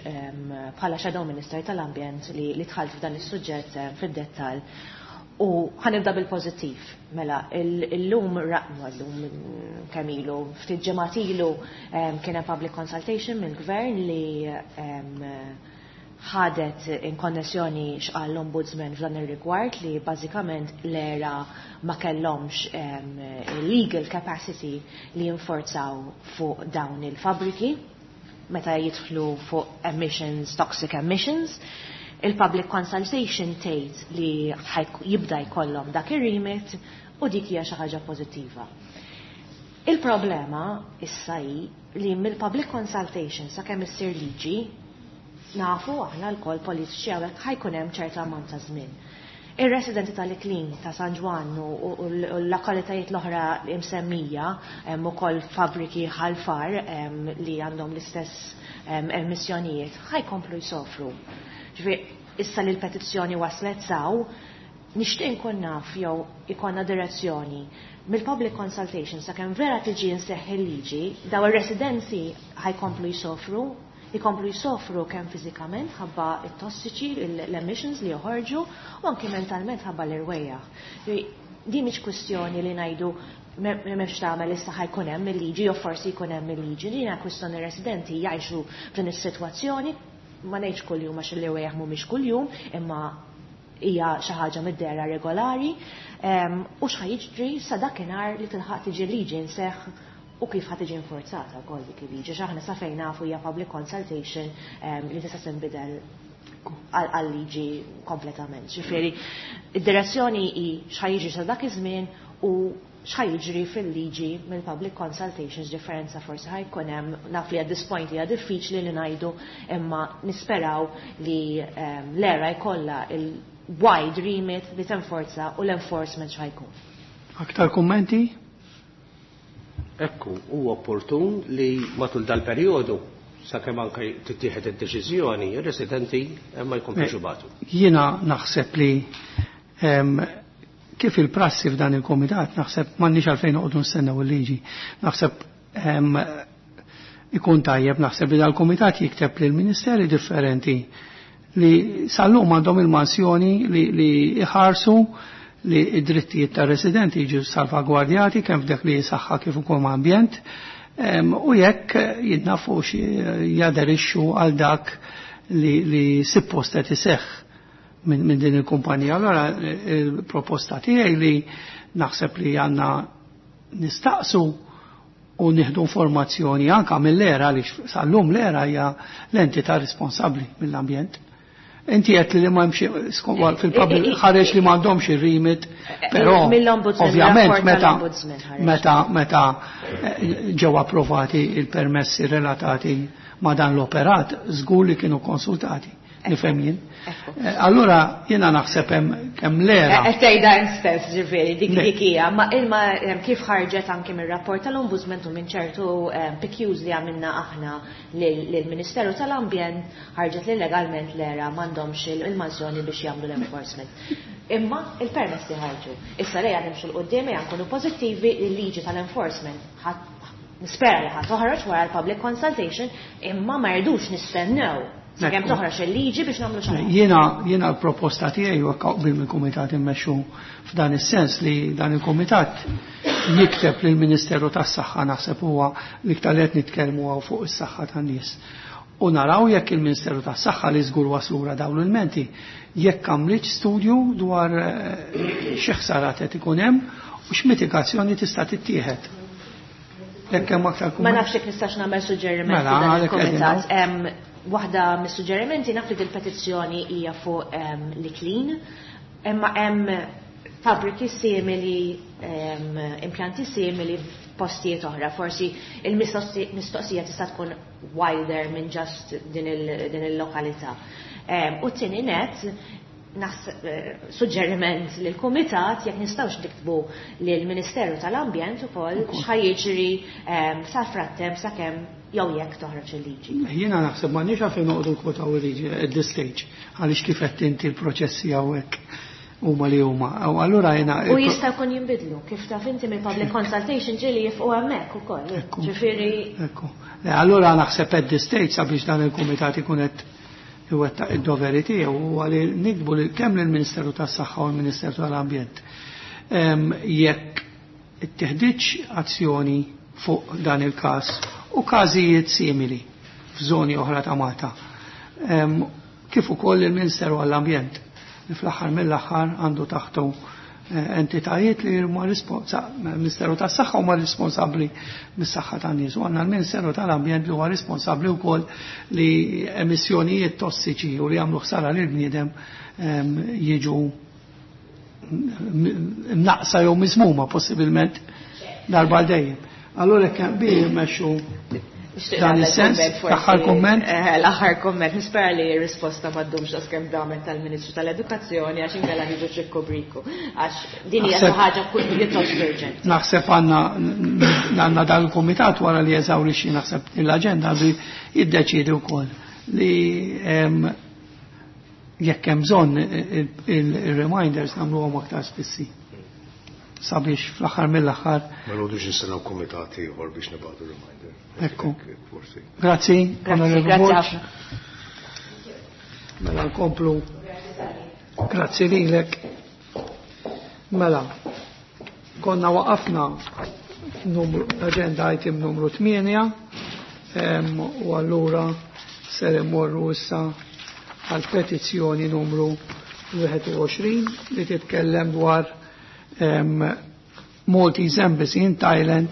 bħala Shadow Minister tal-Ambjent li dħalt f'dan is-suġġett fid-dettall. U ħanibda bil-pożittiv. Mela, illum raqnu llum kemm ilu, ftit ġimgħat ilu kien hemm public consultation mill-gvern li ħadet in konnessjoni x'qal l-Ombudsman f'dan ir-rigward li bażikament l-era ma kellhomx legal capacity li jinforzaw fuq dawn il-fabriki meta jidħlu fuq emissions, toxic emissions. Il-public consultation tgħid li jibda jkollhom dak ir-remit u dik hija xi ħaġa pożittiva. Il-problema issa hi li mill-public consultation sakemm issir liġi nafu aħna lkoll politiċi hawnhekk ħajkun hemm ċerta ammont ta' żmien. Ir-residenti tal-Iklin ta' San Ġwann u l-lokalitajiet l-oħra msemmija hemm ukoll fabbriki ħalfar li għandhom l-istess emissjonijiet ħajkomplu jsofru. Ġifieri issa li l-petizzjoni waslet saw, nixtieq inkun naf jew ikollna direzzjoni mill-public consultation sakemm vera tiġi nseħħ il-liġi, daw ir-residenzi ħajkomplu jsofru, jkomplu jsofru kemm fiżikament ħabba it-tossiċi, l-emissions li joħorġu, u anki mentalment ħabba l-irwejjaħ. Din mhix kwistjoni li ngħidu m'hemmx tagħmel issa ħajkun hemm il-liġi jew forsi jkun hemm il-liġi. Din hija kwistjoni residenti jgħixu f'din is-sitwazzjoni, ma ngħidx kuljum għax l-irwejjaħ mhumiex kuljum, imma hija xi ħaġa mid-dehra regolari u x'ħa jiġri sa dakinhar li tilħaq tiġi liġi nseħħ u kif ħa tiġi infurzata wkoll dik il-liġi. X'aħna sa fejn nafu hija public consultation li tista' tinbidel għal-liġi kompletament. Ġifieri, id-direzzjoni hi x'ħa jiġri sa dak iż-żmien u x'ħa jiġri fil-liġi mill-public consultations, differenza forsi ħa jkun hemm, naf li at this point hija diffiċli li ngħidu, imma nisperaw li l-ERA jkollha il-wide remit li tenforza u l-enforcement x'ħa jkun. Aktar kummenti? Ekku, huwa opportun li matul dal-perjodu sakemm anke tittieħed id-deċiżjoni, ir-residenti ma jkomplux ibatu. Jiena naħseb li kif il-prassi f'dan il-komitat, naħseb m'għandniex għalfejn noqogħdu nistennew il-liġi. Naħseb ikun tajjeb, naħseb li dal-komitat jikteb lil ministeri differenti li sal-lum għandhom il-mansjoni li iħarsu li id-drittijiet tar-residenti jiġu salvagwardjati kemm f'dak li saħħa kif ukoll ambjent, u jekk jidnafux jaderixxu għal dak li suppost qed iseħħ minn din il-kumpanija. Allora il-proposta tiegħi li naħseb li għandna nistaqsu u nieħdu informazzjoni anka mill-ERA, għaliex sal-lum l-ERA hija l-entità responsabbli mill-ambjent. Inti qed li ma hemmx fil-public ħareġ li m'għandhomx ir-remit, però Mill-Ombudsman, ovvjament rapport tal-Ombudsman ħareġ. meta ġew approvati il-permessi relatati ma' dan l-operat, żgur li kienu konsultati, nifhem jien. Allura jiena naħseb hemm kemm l-ERA. Qed tgħidha int stess, ġifieri, dik Le. dik hija, ma ilma kif ħarġet anke mir-rapport tal-Ombudsman u minn ċertu PQs li għamilna aħna lill-Ministeru tal-Ambjent, ħarġet li legalment l-ERA m'għandhomx il-mażjoni biex jagħmlu l-enforcement. Imma il-permess li ħarġu. Issa lejha nimxu l-qudiem, ejja nkunu pożittivi, il-liġi tal-enforcement nispera li ħa toħroġ wara l-public consultation, imma ma rridux nistennew sakemm toħroġ il-liġi biex nagħmlu xi ħaġa. Jiena l-proposta tiegħi huwa qbil mill-kumitat immexxu f'dan is-sens li dan il-kumitat jikteb lill-Ministeru tas-Saħħa, naħseb huwa l-iktar li qed nitkellmu hawn fuq is-saħħa tan-nies. U naraw jekk il-Ministeru tas-Saħħa li żgur waslura dawn l-ilmenti, jekk għamlitx studju dwar xi ħsarat qed ikun hemm u x'mitigazzjoni tista' tittieħed. Jekk hemm aktar Ma kumment. nafx jekk nistax nagħmel suġġeriment Mela, f'dan għalhekk qegħdin il-kumitat. hawn. Waħda mis-suġġerimenti naf li dil-petizzjoni hija fuq l-Iklin, imma hemm fabbriki simili, impjanti simili f'postijiet oħra. Forsi il-mistoqsija tista' tkun wider minn just din il-lokalità. U t-tieni net, suġġeriment lill-Kumitat jekk nistgħux niktbu lill-Ministeru tal-Ambjent ukoll x'ħa jiġri sa frattemp sakemm jew jekk toħroġ il-liġi. Jiena naħseb m'għandniex għalfejn noqogħdu nkwotaw il-liġi at this stage, għaliex kif qed inti l-proċessi hawnhekk huma li huma. U allura jiena U jista' jkun jinbidlu, kif taf inti mill-public consultation ġieli jifqu hemmhekk ukoll. Ekku. Ġifieri Ekku. Allura naħseb at this stage sabiex dan il-kumitat ikun qed iwettaq id-doveri tiegħu huwa li nikbu li kemm lill-Ministeru tas-Saħħa u l-Ministeru tal-Ambjent. Jekk itteħdiġ azzjoni fuq dan il-każ u każijiet simili f'żoni oħra ta' Malta. Kif ukoll il-Ministeru għall-Ambjent li fl-aħħar mill-aħħar għandu taħtu entitajiet li huma Ministeru tas-Saħħa huma responsabbli mis-saħħa tan-nies, u għandna l-Ministeru tal-Ambjent li huwa responsabbli wkoll li emissjonijiet tossiċi u li jagħmlu ħsara lil bniedem jiġu mnaqsa jew miżmuma possibilment darba għal dejjem. Allura jekk hemm bi jmexxu Nixtieq dan nagħmel is-sens, kumment forsi. l-aħħar kumment. L-aħħar kumment, nispera li r-risposta ma ddumx daqs kemm damet tal-Ministru tal-Edukazzjoni għax inkella niġu ċikku briku. Għax din hija Naħseb xi ħaġa pjuttost urġenti. Naħseb għandna dan il-kumitat wara li jeżawrixxi naħseb l-aġenda li jiddeċiedi wkoll li jekk hemm bżonn il-reminders nagħmluhom aktar spissi sabiex fl-aħħar mill-aħħar. Ma nqogħdux nistennew kumitat ieħor biex nibgħatu reminder. Ekku. Forsi. Grazzi, Grazzi, Onorevole grazzi Borg. ħafna. Mela nkomplu. Grazzi lilek. Mela, konna waqafna l-agenda item numru 8, u allura ser immorru issa għal petizzjoni numru 21 li titkellem dwar Maltese Embassy in Thailand.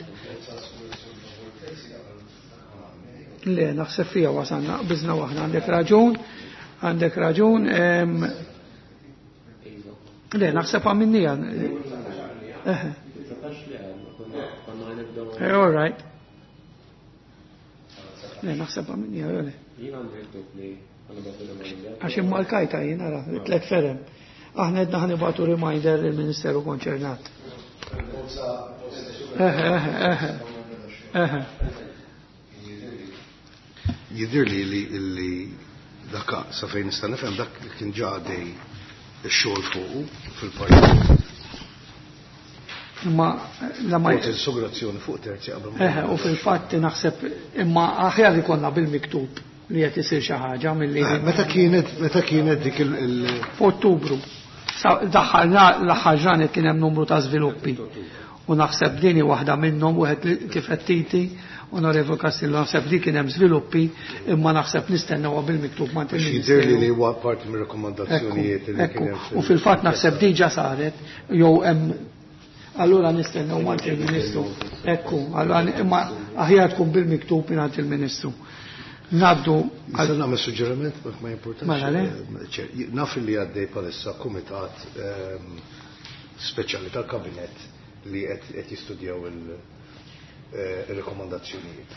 Le, naħseb fija wasanna, bizna waħna, għandek raġun, għandek raġun. Le, naħseb għaminnija. All right. Le, naħseb għaminnija, le. Għax imma l-kajta jien, ara, tlet ferem. Aħna edna ħanibatu reminder il-Ministeru konċernat. Eħe, eħe. Jidir li li dak sa fejn nista' nifhem dak kien ġa għaddej ix-xogħol fuqu fil-parlament. Imma la ma Fuq fuq terzi qabel. Eħe, u fil-fatt naħseb imma aħjar li konna bil-miktub li qed isir xi ħaġa milli. Meta kienet dik il F'Ottubru. Daħħalna l-aħħar ġranet kien hemm numru ta' żviluppi. U naħseb dini waħda minnhom wieħed kif qed titi, Onorevole Castillo, naħseb li kien hemm żviluppi imma naħseb nistennewha bil-miktub ma' Jidher li huwa parti mir-rakkomandazzjonijiet li kien hemm. U fil-fatt naħseb diġà saret jew hemm allura nistennew ma' il-Ministru. Ekku, allura imma aħjar tkun bil-miktub mingħand il-Ministru. Naddu. Nista' nagħmel suġġeriment ma jimpurtax. Mela le? Naf li għaddej bħalissa kumitat speċjali tal-Kabinett li qed jistudjaw il-rekomandazzjonijiet.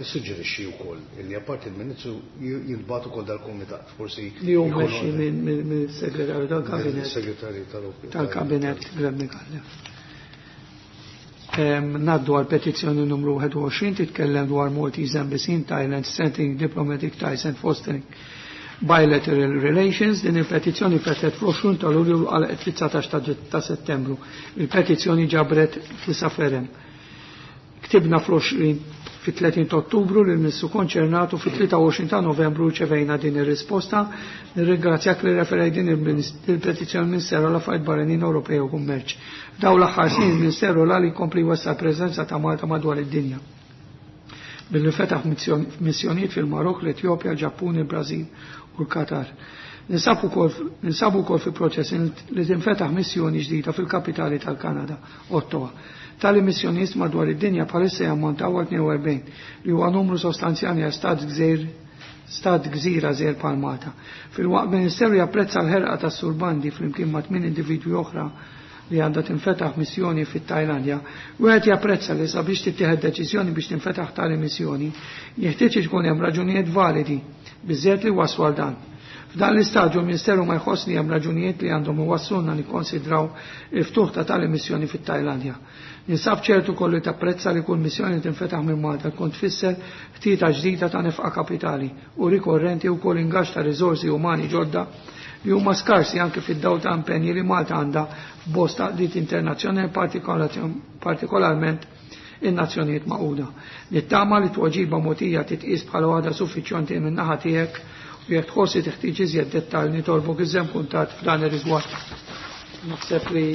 Nissuġġerixxi wkoll li apparti il-Ministru jintbagħtu ukoll dal-kumitat, forsi li hu mmexxi mill-Segretarju tal-Kabinett. Segretarju tal-Kabinett Glenn Micallef. Naddu għal petizzjoni numru 21 titkellem dwar Maltese Embassy in Thailand Strengthening Diplomatic Ties and Fostering Bilateral Relations. Din il-petizzjoni fettet fl-20 ta' Lulju għal 19 ta' Settembru. Il-petizzjoni ġabret tisa ferem. Ktibna fl-20 fit-30 ta' Ottubru lil Ministru konċernatu fit-23 ta' Novembru ċevejna din ir-risposta. Nirringrazzjak li referej din il-petizzjoni Ministeru għal Affarijiet Barranin Ewropej u Kummerċ. Daw l-aħħar snin il-Ministeru għal jkompli jwessa' preżenza ta' Malta madwar id-dinja. Billi fetaħ missjonijiet fil-Marok, l-Etjopja, l-Ġappun, il-Brażil u l-Qatar. Ninsabu wkoll fi proċess li tinfetaħ missjoni ġdida fil-kapitali tal-Kanada, Ottawa. Tali missjonijiet madwar id-dinja bħalissa jammontaw għal 42 li huwa numru sostanzjali għal stat gżira żgħir bħal Malta. Fil-waqt Ministeru japprezza l-ħerqa tas-Sur Bandi flimkien ma' 8 individwi oħra li għandha tinfetaħ missjoni fit-Tajlandja, wieħed japprezza li sabiex tittieħed deċiżjoni biex tinfetaħ tali missjoni, jeħtieġ ikun hemm raġunijiet validi biżżejjed li waslu għal dan. F'dan l-istadju l-Ministeru ma jħoss li hemm raġunijiet li għandhom iwassluna nikkonsidraw il-ftuħ ta' tali missjoni fit-Tajlandja. Ninsab ċertu kollu tapprezza li kull missjoni tinfetaħ minn Malta tkun tfisser ħtieta ġdida ta' nefqa kapitali u rikorrenti u kull ingaġġ ta' riżorsi umani ġodda li huma skarsi anke fid-dawl ta' impenji li Malta għandha f'bosta għaqdiet internazzjonali partikolarment in-Nazzjonijiet Magħquda. Nittama li tweġiba mogħtija titqis bħala waħda suffiċjenti minn naħa tiegħek u jekk tħossi teħtieġ iżjed dettall nitolbok iżżemm kuntatt f'dan ir-rigward. Naħseb li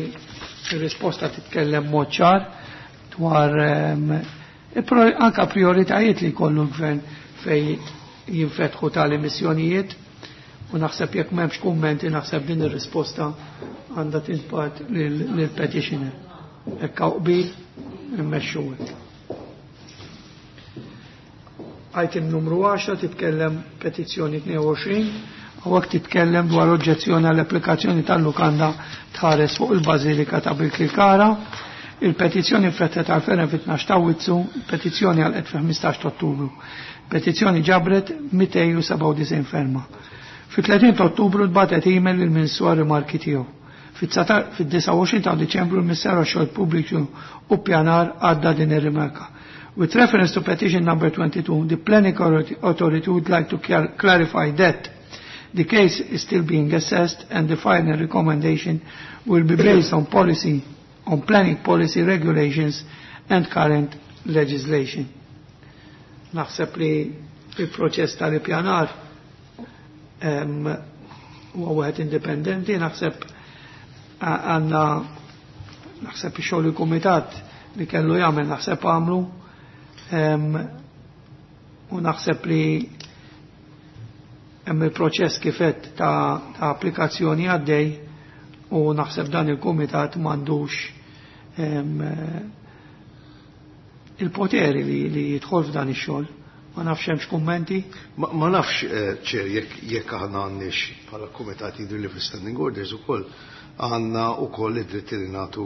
r-risposta titkellem mod ċar dwar anka prioritajiet li jkollu l-gvern fej jinfetħu tali missjonijiet u naħseb jekk m'hemmx kummenti naħseb din ir-risposta għandha tintbagħat lill-petitioner. Hekk hawn qbil immexxu hekk. Item numru 10 titkellem petizzjoni 22, hawnhekk titkellem dwar oġġezzjoni għall-applikazzjoni tal-lukanda tħares fuq il-Bażilika ta' Birkirkara. Il-petizzjoni nfettet għal ferem fit-12 ta' Awwissu, il-petizzjoni għal fil-15 ta' Ottubru. Petizzjoni ġabret 297 ferma. Fit-30 ta' Ottubru tbatet email lill-Ministru għal rimarki tiegħu. Fit-29 ta' Diċembru l-Ministeru għax-Xogħol Pubbliku u Pjanar għadda din ir-rimarka. With reference to petition number 22, the Planning Authority would like to clarify that the case is still being assessed and the final recommendation will be based on policy, on planning policy regulations and current legislation. Naħseb li il-proċess tal-ippjanar huwa wieħed indipendenti, naħseb għandna naħseb ix-xogħol il-kumitat li kellu jagħmel naħseb għamlu u naħseb li Hemm il-proċess kif għedt ta' applikazzjoni għaddej u naħseb dan il-kumitat m'għandux il-poteri li jidħol f'dan ix-xogħol. Ma nafx hemmx kummenti? Ma nafx, Chair, jekk aħna għandniex bħala kumitat, jidhirli fl-standing orders ukoll għandna ukoll id-dritt li nagħtu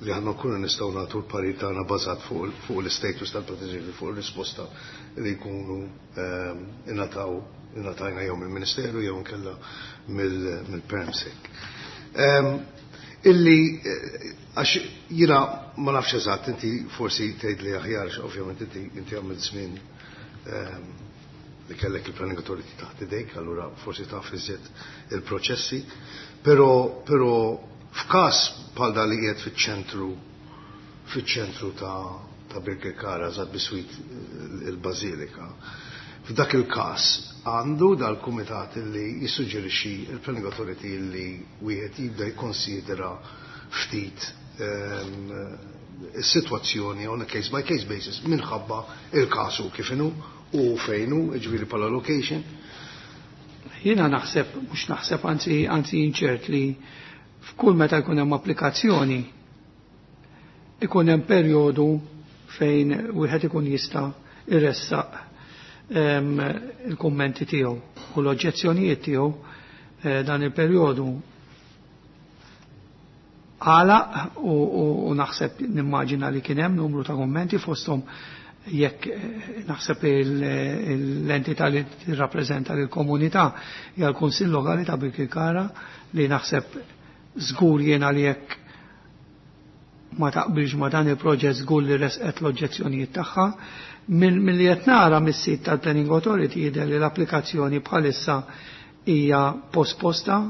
li aħna nkunu nistgħu nagħtu l-parir tagħna bażat fuq l-istatus tal-petizzjoni, fuq ir-risposta li jkunu ingħataw ingħatajna jew mill-Ministeru jew inkella mill-PermSec. Illi għax jiena ma nafx eżatt, inti forsi tgħid li aħjar, ovvjament inti għamilt żmien li kellek il-Planning Authority taħt idejk, allura forsi taf iżjed il-proċessi, però f'każ bħal dan li qiegħed fiċ-ċentru ta' Birkirkara, eżatt biswit il-Bażilika, f'dak il-każ għandu dal-kumitat li jissuġġerixxi il-Planning Authority li wieħed jibda jikkonsidera ftit is-sitwazzjoni on a case by case basis minħabba il-kasu kif inhu u fejnu, ġifieri bħala location. Jiena naħseb, mhux naħseb, anzi inċert li f'kull meta jkun hemm applikazzjoni ikun hemm perjodu fejn wieħed ikun jista' iressaq il-kummenti tiegħu u l-oġġezzjonijiet tiegħu. Dan il-perjodu għalaq u naħseb nimmaġina li kien hemm numru ta' kummenti, fosthom jekk naħseb l-entità li tirrappreżenta lill-komunità hija l-Kunsill Lokali ta' Birkirkara, li naħseb żgur jiena li jekk ma taqbilx ma dan il-proġett żgur li resqet l-oġġezzjonijiet tagħha. Milli qed nara mis-sit tal-Planning Authority jidher li l-applikazzjoni bħalissa hija posposta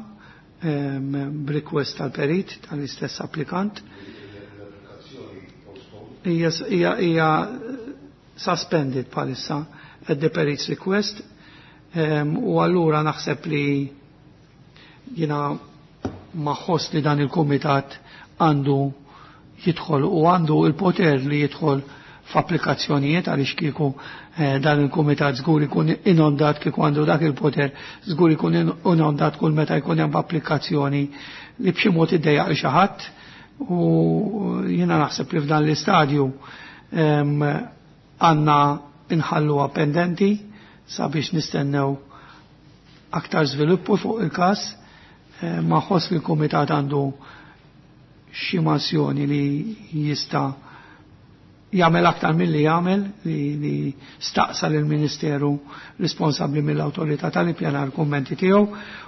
b'request tal-perit tal-istess applikant. Hija suspended bħalissa at the perit's request u allura naħseb li jiena ma nħoss li dan il-kumitat għandu jidħol u għandu il-poter li jidħol f'applikazzjonijiet, għaliex kieku dan il-kumitat żgur ikun inondat, kieku għandu dak il-poter żgur ikun inondat kull meta jkun hemm applikazzjoni li b'xi mod iddejjaq li xi ħadd, u jiena naħseb li f'dan l-istadju għandna inħalluha pendenti sabiex nistennew aktar żviluppu fuq il-każ. Ma nħoss li l-kumitat għandu xi mansjoni li jista' jagħmel aktar milli jagħmel li staqsa lill-Ministeru responsabbli mill-awtorità tal-ippjanar kummenti tiegħu,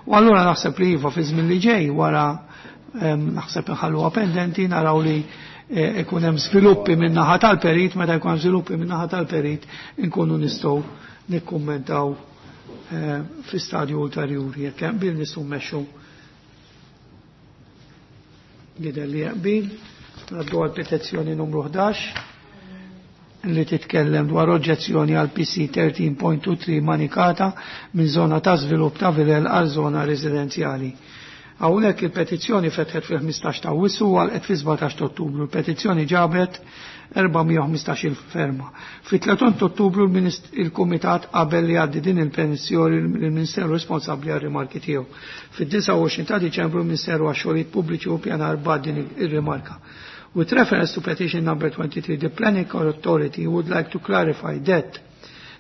u allura naħseb li iva, fi żmien li ġej wara naħseb inħalluha pendenti, naraw li ikun hemm żviluppi minn naħa tal-perit. Meta jkun hemm żviluppi minn naħa tal-perit inkunu nistgħu nikkummentaw fi stadju ulterjuri. Jekk hemm qbil, nistgħu mmexxu. Jidher li qbil. Ngħaddu għal petizzjoni numru 11 li titkellem dwar oġġezzjoni għal PC 13.23 Manikata minn zona ta' żvilupp ta' vilel għal zona residenzjali. Hawnhekk il-petizzjoni fetħet fil-15 ta' Awwissu u għalqet fil-17 ta' Ottubru. Il-petizzjoni ġabet 415 ferma. Fit-30 Ottubru il-Kumitat qabel li għaddi din il-petizzjoni lill-Ministeru responsabbli għal rimarki tiegħu. Fid-29 ta' Diċembru il-Ministeru għax-Xogħlijiet Pubbliċi u Pjanar bagħat din ir-rimarka. With reference to petition number 23, the Planning Authority would like to clarify that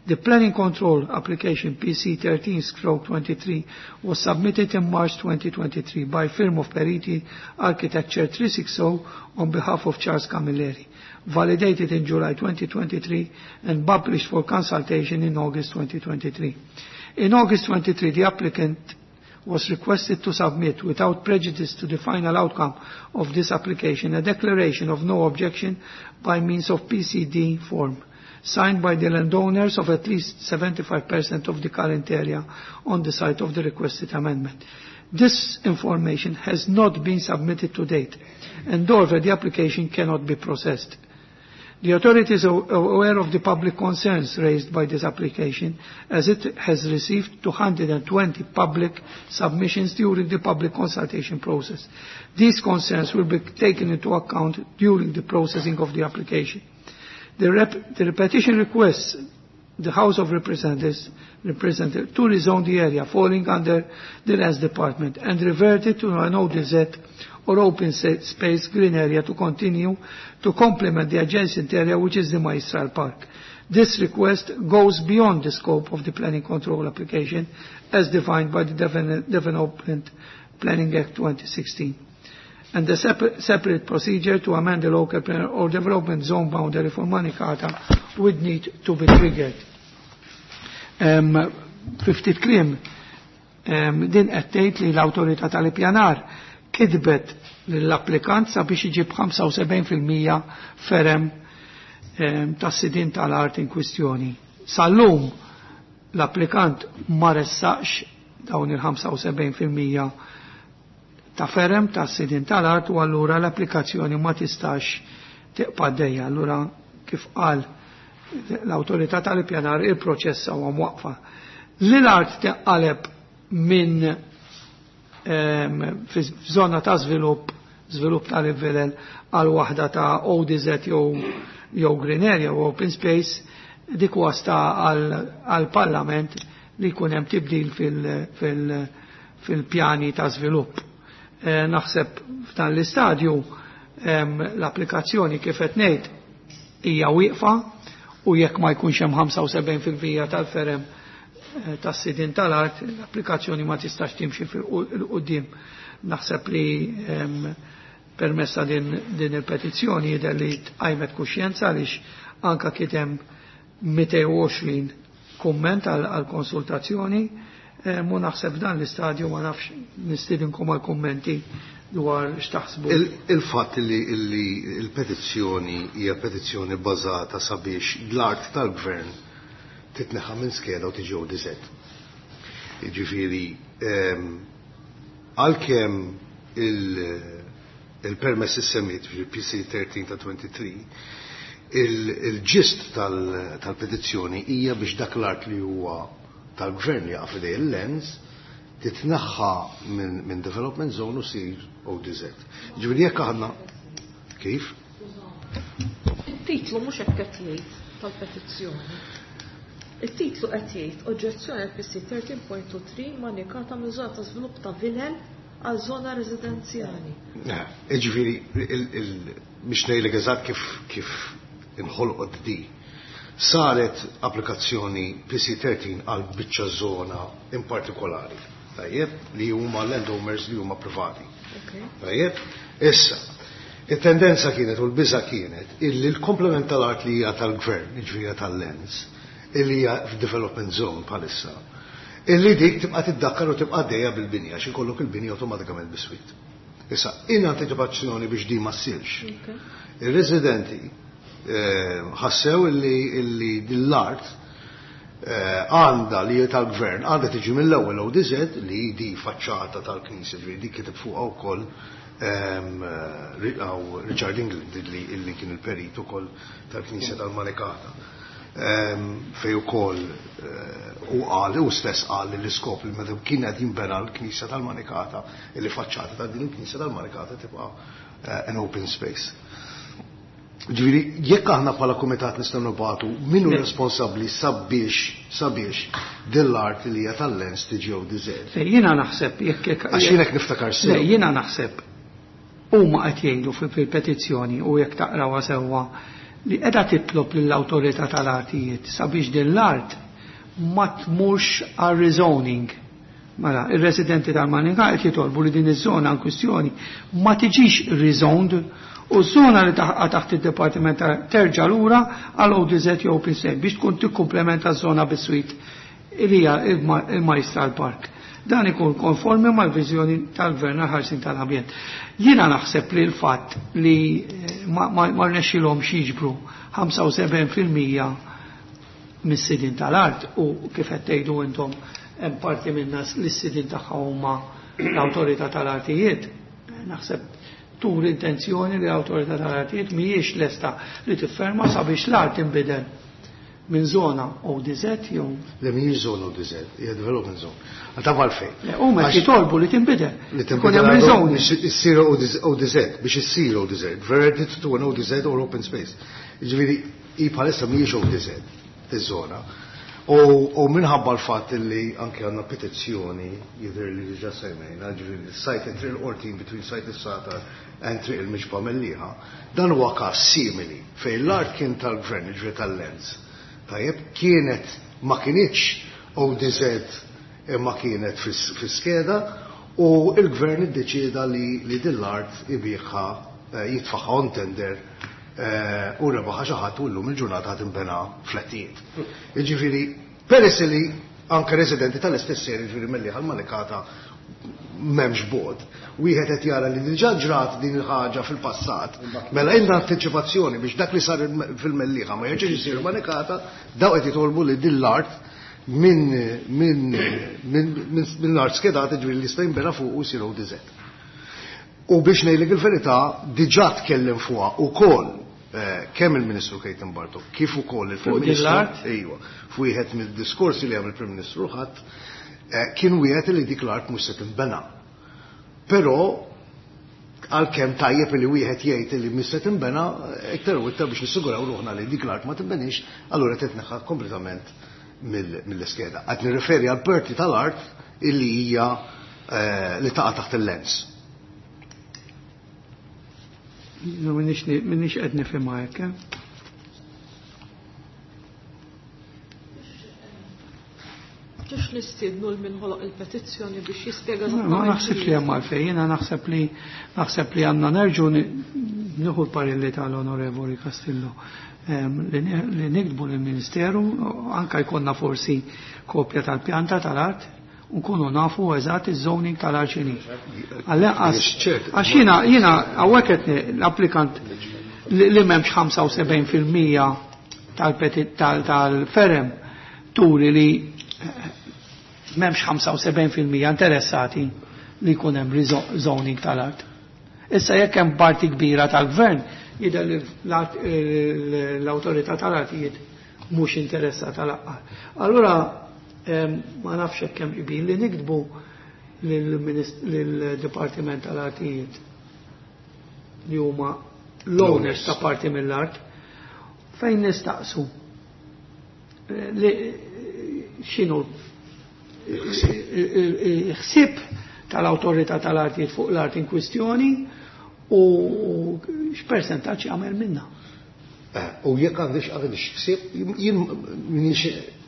the Planning Control application PC 13/23 was submitted in March 2023 by firm of Periti Architecture 360 on behalf of Charles Camilleri, validated in July 2023 and published for consultation in August 2023. In August 23, the applicant was requested to submit, without prejudice to the final outcome of this application, a declaration of no objection by means of PCD form, signed by the landowners of at least 75% of the current area on the site of the requested amendment. This information has not been submitted to date, and therefore the application cannot be processed. The authorities are aware of the public concerns raised by this application, as it has received 220 public submissions during the public consultation process. These concerns will be taken into account during the processing of the application. The petition requests the House of Representatives representative to rezone the area falling under the Lands Department and revert it to an ODZ or open space green area to continue to complement the adjacent area, which is the Maestral Park. This request goes beyond the scope of the planning control application as defined by the Development Planning Act 2016 and the separate procedure to amend the local plan or development zone boundary for Manikata would need to be triggered. Fiftit kliem, din qed tgħid li l-awtorità tal-ippjanar kitbet lill-applikant sabiex iġib 75% ferem tas-sidien tal-art in kwistjoni. Sal-lum l-applikant ma ressaqx dawn il-75% ta' ferem ta' sidin tal-art u allura l-applikazzjoni ma tistax tiqpa' dejja. Allura kif qal l-awtorità tal-ippjanar il-proċess huwa mwaqfa. Li l-art teqqaleb minn f'żona ta' żvilupp, żvilupp tal-vilel għal waħda ta' ODZ jew green area u open space, dik wasta għal-parlament li jkun hemm tibdil fil-pjani ta' żvilupp. Naħseb f'dan l-istadju l-applikazzjoni kif qed ngħid hija wieqfa u jekk ma jkunx hemm 75% tal-ferem tas-sidien tal-art, l-applikazzjoni ma tistax timxi fil-qudiem. Naħseb li permessa din il-petizzjoni jidher li tqajmet kuxjenza għaliex anka kien hemm 220 kumment għal konsultazzjoni. Mu naħseb dan l-istadju ma nafx nistidinkom għal kummenti dwar x'taħsbu. Il-fatt li l-petizzjoni hija petizzjoni bbażata sabiex l-art tal-gvern titneħħa minn skeda u tiġi ODZ. Jiġifieri għalkemm il-permess issemmiet fil-PC 13 ta' 23, il-ġist tal-petizzjoni hija biex dak l-art li huwa tal-gvern li jaqa' f'idej il-lands titnaħħa minn development zone u sir ODZ. Ġifieri jekk aħna kif? Il-titlu mhux hekk qed jgħid tal-petizzjoni. Il-titlu qed jgħid oġġezzjoni għal PC 13.3 manikata minn żona ta' żvilupp ta' vilel għal żona residenzjali. Ġifieri biex ngħidlek eżatt kif inħolqot di. Saret applikazzjoni PC13 għal biċċa żona in partikolari, tajjeb, li huma landowners li huma privati. Tajjeb, issa, it-tendenza kienet u l-biża kienet illi l-komplement tal-art li hija tal-gvern, jiġifieri tal-lands, illi hija f'development zone bħalissa, illi dik tibqa' tiddakkar u tibqa' għaddejja bil-binja, għax ikollok il-binja awtomatikament biswit. Issa, in anticipazzjoni biex di ma ssirx. Ir-residenti ħassew illi l-art għandha li tal-gvern għandha tiġi mill-ewwel ODZ li di faċċata tal-Knisja, ġifieri dik kiteb fuqha wkoll Richard England illi kien il-perit ukoll tal-Knisja tal-Manikata. Fej ukoll u qal u stess qal li l-iskop li meta kien qed jinbena l-Knisja tal-Manikata illi faċċata ta' din il-Knisja tal-Manikata tibqa' an open space. Ġifieri, jekk aħna bħala kumitat nistgħu nibgħatu min hu responsabbli sabiex din l-art li hija tal-lens tiġi ODZ. Le, jiena naħseb jekk jekk Għax jien hekk niftakar sew. Le, jiena naħseb huma qed jgħidu fil-petizzjoni u jekk taqrawha sewwa li qiegħda titlob lill-awtorità tal-artijiet sabiex din l-art ma tmurx għal rezoning. Mela, ir-residenti tal-Manika qed jitolbu li din iż-żona in kwistjoni ma tiġix rezoned u ż-żona li taqa' taħt id-dipartiment terġa' lura għal ODZ jew open space biex tkun tikkumplementa ż-żona bis-swit li hija il-Majstral Park. Dan ikun konformi mal-viżjoni tal-Gvern għal-ħarsin tal-ambjent. Jiena naħseb li l-fatt li ma rnexxilhomx jiġbru 75% mis-sidien tal-art u kif qed tgħidu intom hemm parti minna li s-sidien tagħha huma l-awtorità tal-artijiet, naħseb tur intenzjoni li l-awtorità tal-artijiet mhijiex lesta li tifferma sabiex l-art inbidel minn zona ODZ jew Le mhijiex zona ODZ, hija development zone. Għal taf għalfejn. Le, huma qed jitolbu li tinbidel. Li Ikun tinbidel hemm għal rezoning. biex issir ODZ, biex issir ODZ, verted to an ODZ or open space. Jiġifieri hi bħalissa mhijiex ODZ, iż-żona. U minħabba l-fatt li anke għandna petizzjoni jidher li diġà semmejna, ġifieri site Triq il-Qortin between site is-Sagħtar and Triq il-Miġba Mellieħa, dan huwa każ simili fejn l-art kien tal-gvern, ġifieri tal-Lands. Tajjeb, kienet ma kinitx ODZ imma kienet fis-skeda u il-gvern iddeċieda li din l-art ibigħha, jitfagħha on tender u rebaħha xi ħadd u llum il-ġurnata ħadd inbena flettijiet. Jiġifieri, peress li anke residenti tal-istess area, jiġifieri Mellieħa l-Manikata m'hemmx bogħod, wieħed qed jara li diġà ġrat din il-ħaġa fil-passat, mela għandna antiċipazzjoni biex dak li sar fil-Mellieħa ma jerġax isir Manikata, daw qed jitolbu li din l-art minn l-art skedata, ġifieri li jista' jinbena fuq u jsir ODZ. U biex ngħidlek il-verità, diġà tkellem fuqha ukoll kemm il-Ministru Clayton Bartolo kif ukoll il-Prim Fuq din Ministru. l-art? Ejwa, f'wieħed mid-diskorsi li għamel il-Prim Ministru ħadd kien wieħed li dik l-art mhux se tinbena. Però għalkemm tajjeb li wieħed jgħid li mhux se tinbena, iktar u iktar biex nissiguraw ruħna li dik l-art ma tinbenix, allura titneħħa kompletament mill-iskeda. Qed nirreferi għal parti tal-art illi hija li taqa' taħt il-Lands. Minix qed nifhimha hekk, eh? Ġux nistiednu l min ħoloq il-petizzjoni biex jispjega Ma eżattament naħsibx li hemm għalfejn, jiena naħseb li għandna nerġgħu nieħu l-parelli tal-Onorevoli Castillo, li niktbu lill-Ministeru, anke jkollna forsi kopja tal-pjanta tal-art, nkunu nafu eżatt iż-zoning tal-art x'inhi. Għall-inqas, għax jiena hawnhekk qed l-applikant li m'hemmx 75% tal-ferem turi li m'hemmx 75% interessati li jkun hemm zoning tal-art. Issa jekk hemm parti kbira tal-gvern, jidher li l-awtorità tal-artijiet mhux interessata l-aqqar. Allura ma nafx hekk hemm qbil li niktbu lill-Dipartiment tal-Artijiet li huma l-owners ta' parti mill-art fejn nistaqsu li x'inhu il-ħsieb tal-awtorità tal-artijiet fuq l-art in kwistjoni u x'persentaġġ jagħmel minnha. U jekk għandix ħsieb, jien minix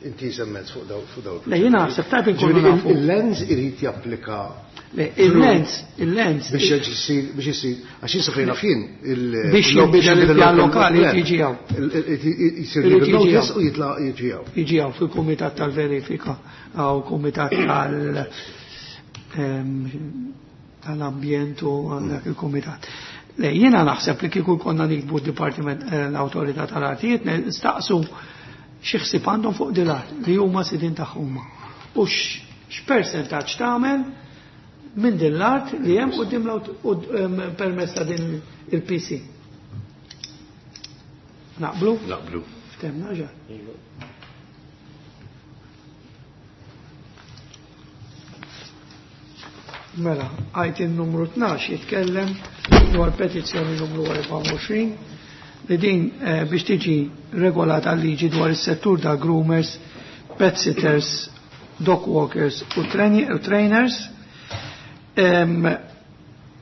inti semmet fuq daw, fuq daw. Le, jiena naħseb tajb inkunu Ġifieri nafu. Il-Lands irid japplika Le, il-Lands. Biex jisir, biex jisir, għax jien sofrejna fien il- Biex il- jinbidel biex il-pjan jinbidel lokali il-plan. jiġi hawn. Jisir Irid legal jiġi notice hawn. u jitla' jiġi hawn. Jiġi hawn fil-kumitat tal-verifika u kumitat tal-ambjent u dak il-kumitat. Le, jiena naħseb li kieku konna nikbu d-Dipartiment l-Awtorità tal-Artijiet nistaqsu xi ħsieb għandhom fuq din l-art li huma sidien tagħhom. U x'persentaġġ tagħmel minn din l-art li hemm quddiem permezz ta' din il-PC. Naqblu? Naqblu. Ftemna ġa. Mela, għajt il-numru 12 jitkellem dwar petizzjoni numru 24 li din biex tiġi regolata liġi dwar is-settur ta' groomers, pet sitters, dog walkers u trainers.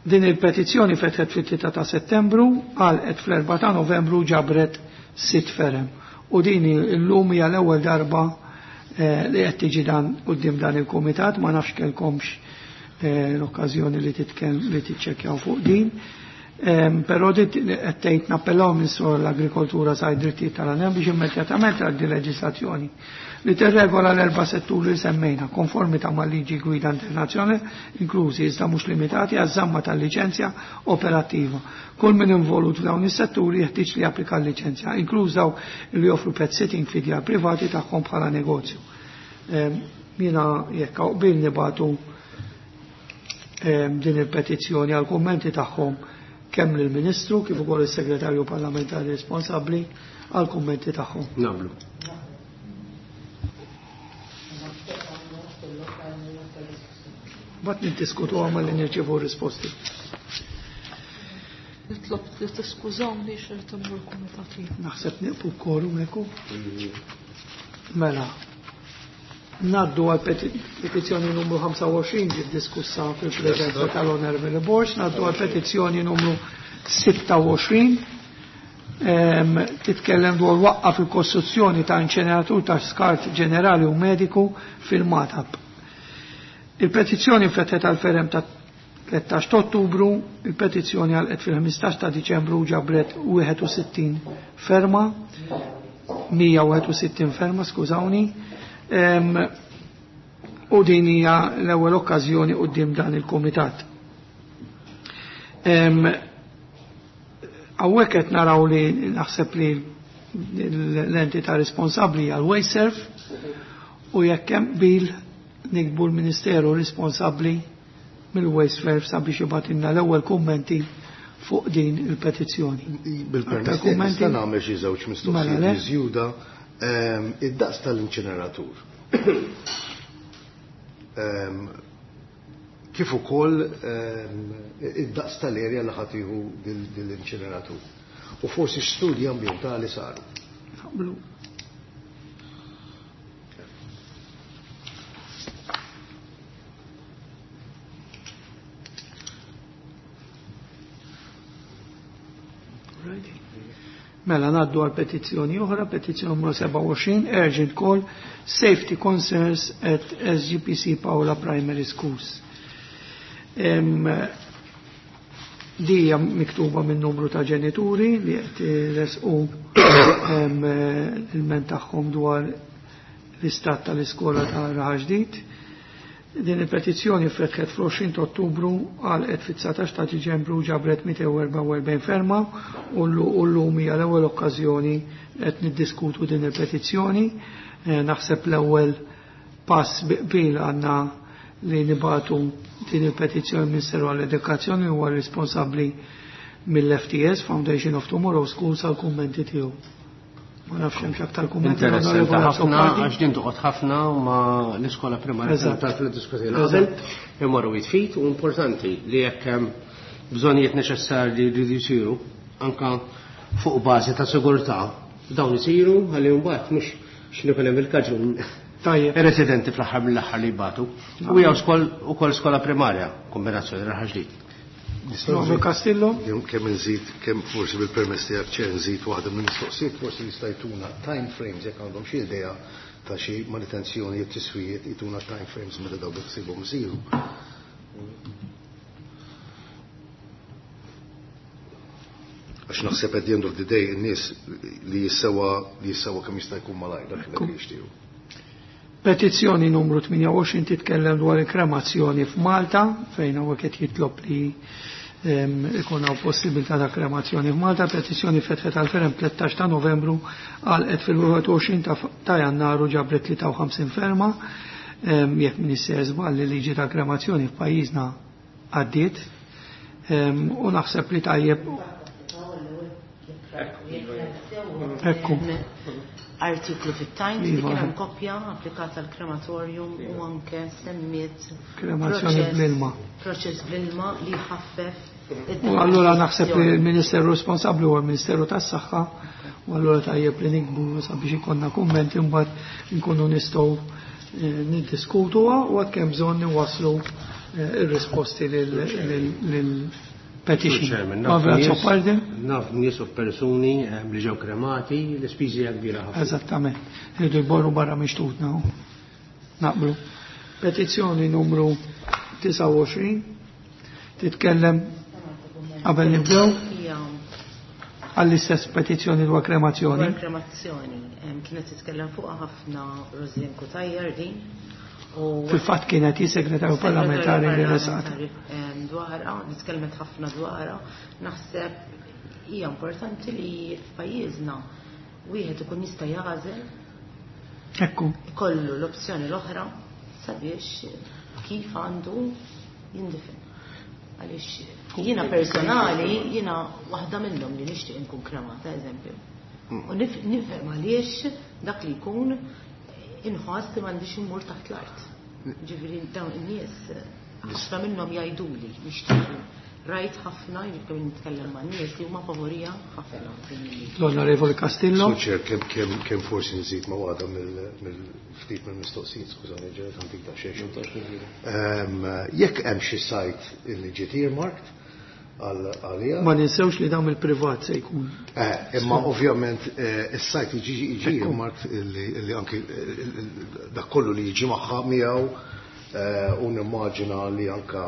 Din il-petizzjoni fetħet fit-3 ta' Settembru, għalqet fl-4 ta' Novembru ġabret 6 ferem. U din illum hija l-ewwel darba li qed tiġi dan quddiem dan il-kumitat, ma nafx kellkomx l-okkażjoni li li tiċċekkjaw fuq din. Però dit qed tgħid nappellaw minn sur l-agrikoltura sa drittijiet tal-għanem biex immedjatament tgħaddi leġislazzjoni li tirregola l-erba' setturi li semmejna konformità mal-liġi gwida internazzjonali, inklużi iżda mhux limitati għaż-żamma tal-liċenzja operattiva. Kull min involut f'dawn is-setturi jeħtieġ li japplika l-liċenzja, inkluż dawk li joffru pet sitting fi djar privati tagħhom bħala negozju. Jiena jekk hawn qbil nibatu din il-petizzjoni għal kummenti tagħhom kemm lill-Ministru kif ukoll is-Segretarju Parlamentari responsabbli għal kummenti tagħhom. Nagħmlu. Bat niddiskutu għamma li nirċievu risposti. Nitlob li tiskużawni x'irid immur kumitat ieħor. Naħseb nieqfu kkorum hekk. Mela. Ngħaddu għal petizzjoni numru 25 ġiet diskussa fil-preżenza tal-Onorevoli Borg, ngħaddu għal petizzjoni numru 26 titkellem dwar waqqa fil-kostruzzjoni ta' inċeneratur ta' skart ġenerali u mediku fil-Matab. Il-petizzjoni fetħet għal ferem ta' 13 ta' Ottubru, il-petizzjoni għalqet fil-15 ta' Diċembru ġabret 61 ferma, 161 ferma, skużawni, u din hija l-ewwel okkażjoni quddiem dan il-kumitat. Hawnhekk qed naraw li naħseb li l-entità responsabbli għal Wasteserv u jekk hemm qbil nikbu l-Ministeru responsabbli mill-Wasteserv sabiex jibgħatilna l-ewwel kummenti fuq din il-petizzjoni. Bil-permess Aktar kummenti? nista' nagħmel xi żewġ Mela, mistoqsijiet le? miżjuda id-daqs tal-inċineratur. Kif ukoll id-daqs tal-erja li ħadd jieħu dil-inċineratur. U forsi x'studji ambjentali saru. Naqblu. Mela ngħaddu għal petizzjoni oħra, petizzjoni numru 27, urgent call, safety concerns at SGPC Paola Primary Schools. Di hija miktuba minn numru ta' ġenituri li qed resqu il-ment tagħhom dwar l-istat tal-iskola ta' Raħal Ġdid. Din il-petizzjoni fetħet fl-20 ta' Ottubru għalqet fit-19 ta' Diċembru ġabret 244 ferma u llum hija l-ewwel okkażjoni qed niddiskutu din il-petizzjoni. Naħseb l-ewwel pass bi qbil għandna li nibatu din il-petizzjoni Ministeru għall-Edukazzjoni huwa responsabbli mill-FTS, Foundation of Tomorrow Schools, għal kummenti tiegħu. Ma nafx hemm x'aktar kummenti. Interessanti Onorevole ħafna, Azzopardi. għax din toqgħod ħafna ma l-iskola primarja taf li diskutejna qabel, imorru jitfit u importanti li jekk hemm bżonnijiet neċessarji li jridu jsiru anka fuq bażi ta' sigurtà dawn isiru ħalli mbagħad mhux x'inhu kien hemm il-kaġun. Tajjeb. Ir-residenti fl-aħħar mill-aħħar li jbatu. U hija ukoll skola primarja, kombinazzjoni Raħal Ġdid. Nobel Castillo. Kemm nżid, kemm forsi bil-permess tiegħek ċer nżid waħda mill-mistoqsijiet forsi jista' jtuna time frames jekk għandhom xi idea ta' xi manutenzjoni tiswijiet jtuna time frames meta dawn biħsibhom isiru. Għax naħseb at the end of the day in-nies li jissewa li jissewa kemm jista' jkun malajr dak li jixtiequ. Petizzjoni numru 28 titkellem dwar il-kremazzjoni f'Malta, fejn hawnhekk qed jitlob li ikun hawn possibilità ta' kremazzjoni f'Malta. Petizzjoni fetħet għal ferem 13 ta' Novembru għalqet fil-21 ta' Jannar u ġabret 53 ferma. Jekk min issejjer żball li liġi ta' kremazzjoni f'pajjiżna għaddiet. U naħseb li tajjeb. Ekku. Artiklu fit-Times li Iva. kien hemm koppja applikata għal krematorium u anke semmiet Kremazzjoni bl-ilma. Proċess bl-ilma li ħaffef U allura naħseb li l-Ministeru responsabbli huwa l-Ministeru tas-Saħħa u allura tajjeb li nikbu sabiex ikollna kummenti mbagħad nkunu nistgħu niddiskutuha u għad kemm bżonn niwasslu ir-risposti lil petition. Chairman, Pavel Azzopardi? naf nies u persuni li ġew kremati, l-ispiżi hija kbira ħafna. Eżattament. Irridu jborru barra mixtutna. Naqblu. Petizzjoni numru 29 titkellem qabel nibdew Hija għall-istess petizzjoni dwar kremazzjoni. Dwar kremazzjoni. Kienet titkellem fuqha ħafna Roslyn Cutajar din. U Fil-fatt kienet hi segretarju parlamentari li resaqet. Dwarha, nitkellmet ħafna dwarha. Naħseb hija importanti li f'pajjiżna wieħed ikun jista' jagħżel. Ekku. Ikollu l-opzjoni l-oħra sabiex kif għandu jindifen. Għaliex jiena personali, jiena waħda minnhom li nixtieq inkun kremata, eżempju. U nifhem għaliex dak li jkun inħoss li m'għandix immur taħt l-art. Ġifieri dawn in-nies ħafna minnhom jgħiduli nixtiequ Rajt ħafna, jiġifieri nitkellem man-nies li huma favorija ħafna din il-liġi. L-Onorevoli Castillo. Sur Chair, kemm kemm kemm forsi nżid ma' waħda mill-ftit mill-mistoqsijiet, skużani ġenet ħantik daqsxejn. Jekk hemm xi site li ġiet earmarked għalija. Ma ninsewx li dawn il-privat se jkun. Imma ovvjament is-site jiġi earmarked li anki dak kollu li jiġi magħha miegħu u nimmaġina li anka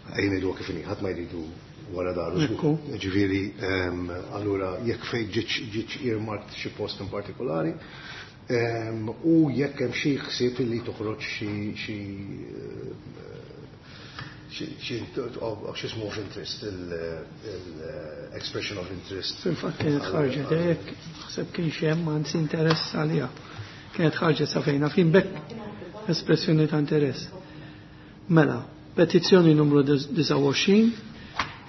ejja ngħidu kif inhi, ħadd ma jridu wara daru. Ġifieri, allura jekk fejn ġietx earmarked xi post in partikolari, u jekk hemm xi ħsieb li toħroġ xi x'ismu of interest, il-expression of interest. Fil-fatt kienet ħarġet hekk, naħseb kien hemm anzi interess għaliha. Kienet ħarġet sa fejna fin bekk espressjoni ta' interess. Mela, petizzjoni numru 29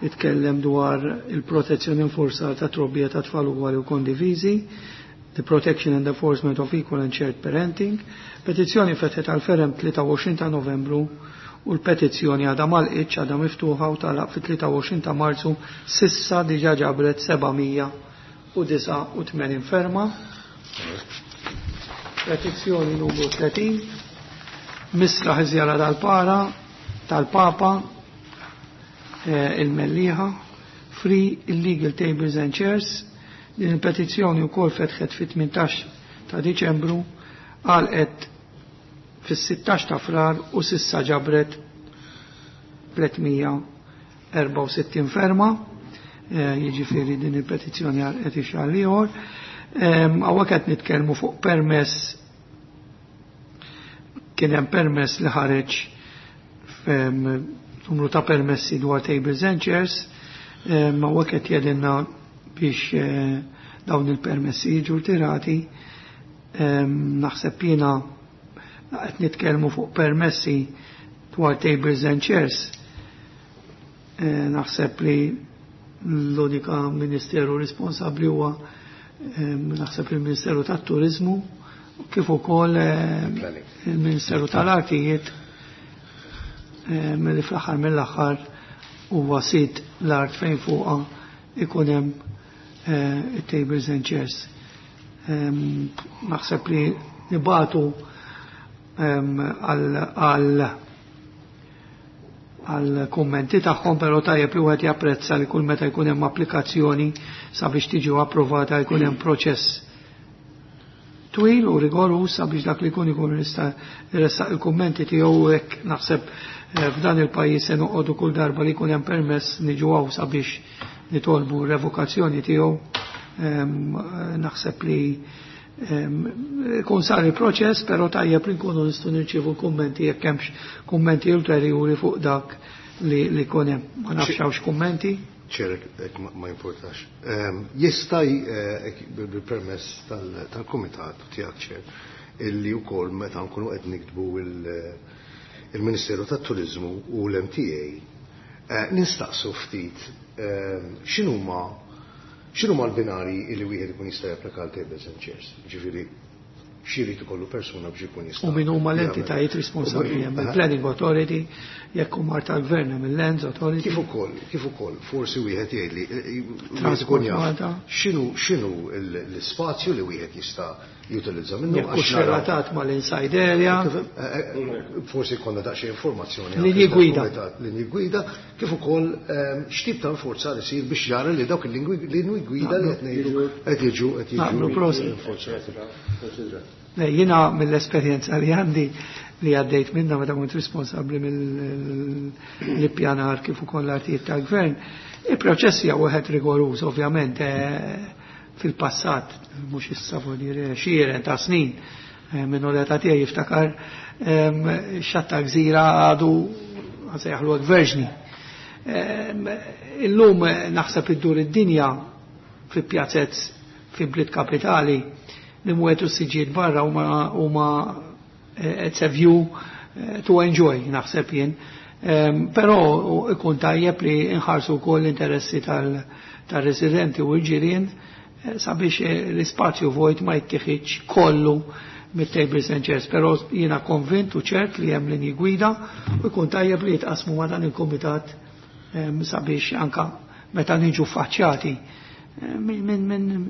titkellem dwar il-protezzjoni infurzata ta' trobbija ta' tfal ugwali u kondiviżi, the protection and enforcement of equal and shared parenting. Petizzjoni fetħet għal ferem 23 ta' Novembru u l-petizzjoni għadha m'għalqitx, għadha miftuħa u tagħlaq fit-23 ta' Marzu, s'issa diġà ġabret 789 ferma. Petizzjoni numru 30, Misraħ iżjara tal-Para, tal-Papa, il-Mellieħa, Free Illegal Tables and Chairs. Din il-petizzjoni wkoll fetħet fit-18 ta' Diċembru, għalqet fis-16 ta' Frar u s'issa ġabret 364 ferma, jiġifieri din il-petizzjoni għalqet ix-xahar ieħor. Hawnhekk qed nitkellmu fuq permess, kien hemm permess li ħareġ numru ta' permessi dwar tables and chairs, ma hawnhekk qed jgħidilna biex dawn il-permessi jiġu rtirati. Naħseb jiena qed nitkellmu fuq permessi dwar tables and chairs. Naħseb li l-unika ministeru responsabbli huwa naħseb il-Ministeru tat-Turizmu kif ukoll il-Ministeru tal-Artijiet, milli fl-aħħar mill-aħħar huwa sid l-art fejn fuqha ikun hemm tables and chairs. Naħseb li nibatu għal kummenti tagħhom, però tajjeb li wieħed japprezza li kull meta jkun hemm applikazzjoni sabiex tiġi approvata jkun hemm proċess twil u rigorus sabiex dak li jkun ikun jista' jressaq il-kummenti tiegħu. Hekk naħseb f'dan il-pajjiż se noqogħdu kull darba li jkun hemm permess niġu hawn sabiex nitolbu revokazzjoni tiegħu. Naħseb li kun sar il-proċess, però tajjeb li nkunu nistgħu nirċievu kummenti jekk hemmx kummenti ulterjuri fuq dak li jkun hemm. Ma nafx hawnx kummenti. Chair, ma importax. Jista' bil-permess tal-kumitat tiegħek, Chair, illi wkoll meta nkunu qed niktbu il-Ministeru tat-Turizmu u l-MTA nistaqsu ftit x'inhuma l-binari li wieħed ikun jista' japplika għal tables and chairs. Ġifieri x'irid ikollu persuna biex ikun jista' U min huma l-entitajiet responsabbli, hemm il-Planning Authority, jekk huma tal-Gvern hemm il-Lands Authority. Kif ukoll forsi wieħed jgħid li Transport ikun jaf Malta. x'inhu l-ispazju li wieħed jista' jutilizza minnu. Jekk hux għax naraw relatat mal-inside area. Forsi jkollna daqsxejn informazzjoni Linji anke gwida. fil-kumitat, linji gwida, kif ukoll x'tip ta' forza li jsir biex jara li dawk il-linji gwida li qed ngħidu qed jiġu Naqblu, prosit. enforzati. Le, jiena mill-esperjenza li għandi li għaddejt minna meta kont responsabbli mill-ippjanar kif ukoll l-artijiet tal-gvern, il-proċess hija wieħed rigoruż ovvjament, fil-passat, mhux issa vuol dire xieren ta' snin, minnu l-età tiegħi jiftakar xatta gżira għadu għasejħlu għek verġni. Illum naħseb iddur id-dinja fi pjazzez fi bliet kapitali li mwetu siġiet barra huma it's a view to enjoy, naħseb jien. Però ikun tajjeb li nħarsu wkoll l-interessi tal-residenti u l-ġirien sabiex l-ispazju vojt ma jittieħidx kollu. mit-tables and chairs, però jiena konvint u ċert li hemm linji gwida u jkun tajjeb li jitqasmu ma' dan il-kumitat sabiex anka meta niġu faċċjati minn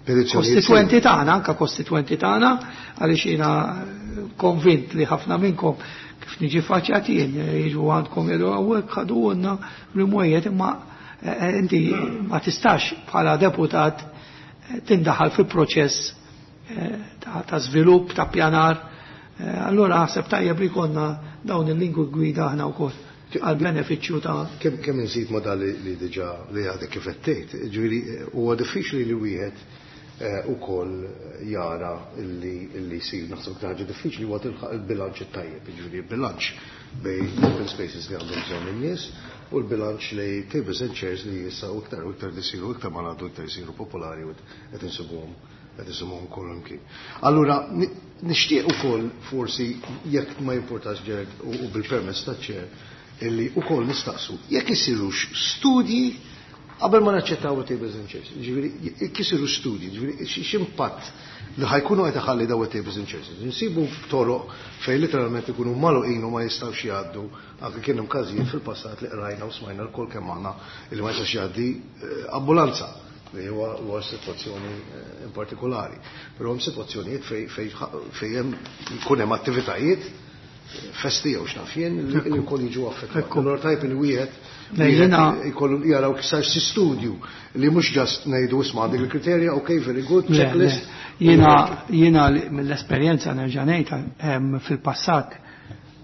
kostitwenti tagħna, anka kostitwenti tagħna, għaliex jiena konvint li ħafna minnkom kif niġi faċċjati jien jiġu għandkom jgħidu hawnhekk ħadulna l-imwejjed imma inti ma tistax bħala deputat tindaħal fi proċess ta' żvilupp, ta' pjanar. Allura naħseb tajjeb li konna dawn il-lingwi gwida aħna wkoll għal benefiċċju ta' Kemm inżid ma' dan li diġà li għadek kif qed tgħid, ġifieri huwa diffiċli li wieħed ukoll jara illi jsir naħseb iktar ħaġa diffiċli huwa tilħaq il-bilanċ it-tajjeb, jiġifieri il-bilanċ bejn open spaces li għandhom bżonn in-nies u l-bilanċ li tables and chairs li issa u iktar u iktar isiru iktar ma ngħaddu iktar isiru popolari u qed insibuhom qed insibuhom ukoll imkien. Allura nixtieq ukoll forsi jekk ma jimpurtax Gerard u bil-permess taċ-chair illi ukoll nistaqsu jekk isirux studji qabel ma naċċettaw tables and chairs. Ġifieri jekk isiru studji, ġifieri x'impatt li ħajkunu qed iħalli daw tables and chairs. Nsibu toroq fejn literalment ikunu magħluqin u ma jistgħux jgħaddu, anke kien hemm każijiet fil-passat li qrajna u smajna lkoll kemm aħna li ma jistax jgħaddi ambulanza li huwa sitwazzjoni in partikolari. Però hemm sitwazzjonijiet fejn hemm jkun hemm attivitajiet festi jew x'naf jien li wkoll jiġu affettwati. Allura tajb li wieħed jkollu jaraw kif sar xi studju li mhux ġast ngħidu isma' għandek il-kriterja, okay, very good, checklist. Jiena mill-esperjenza nerġa' ngħid fil-passat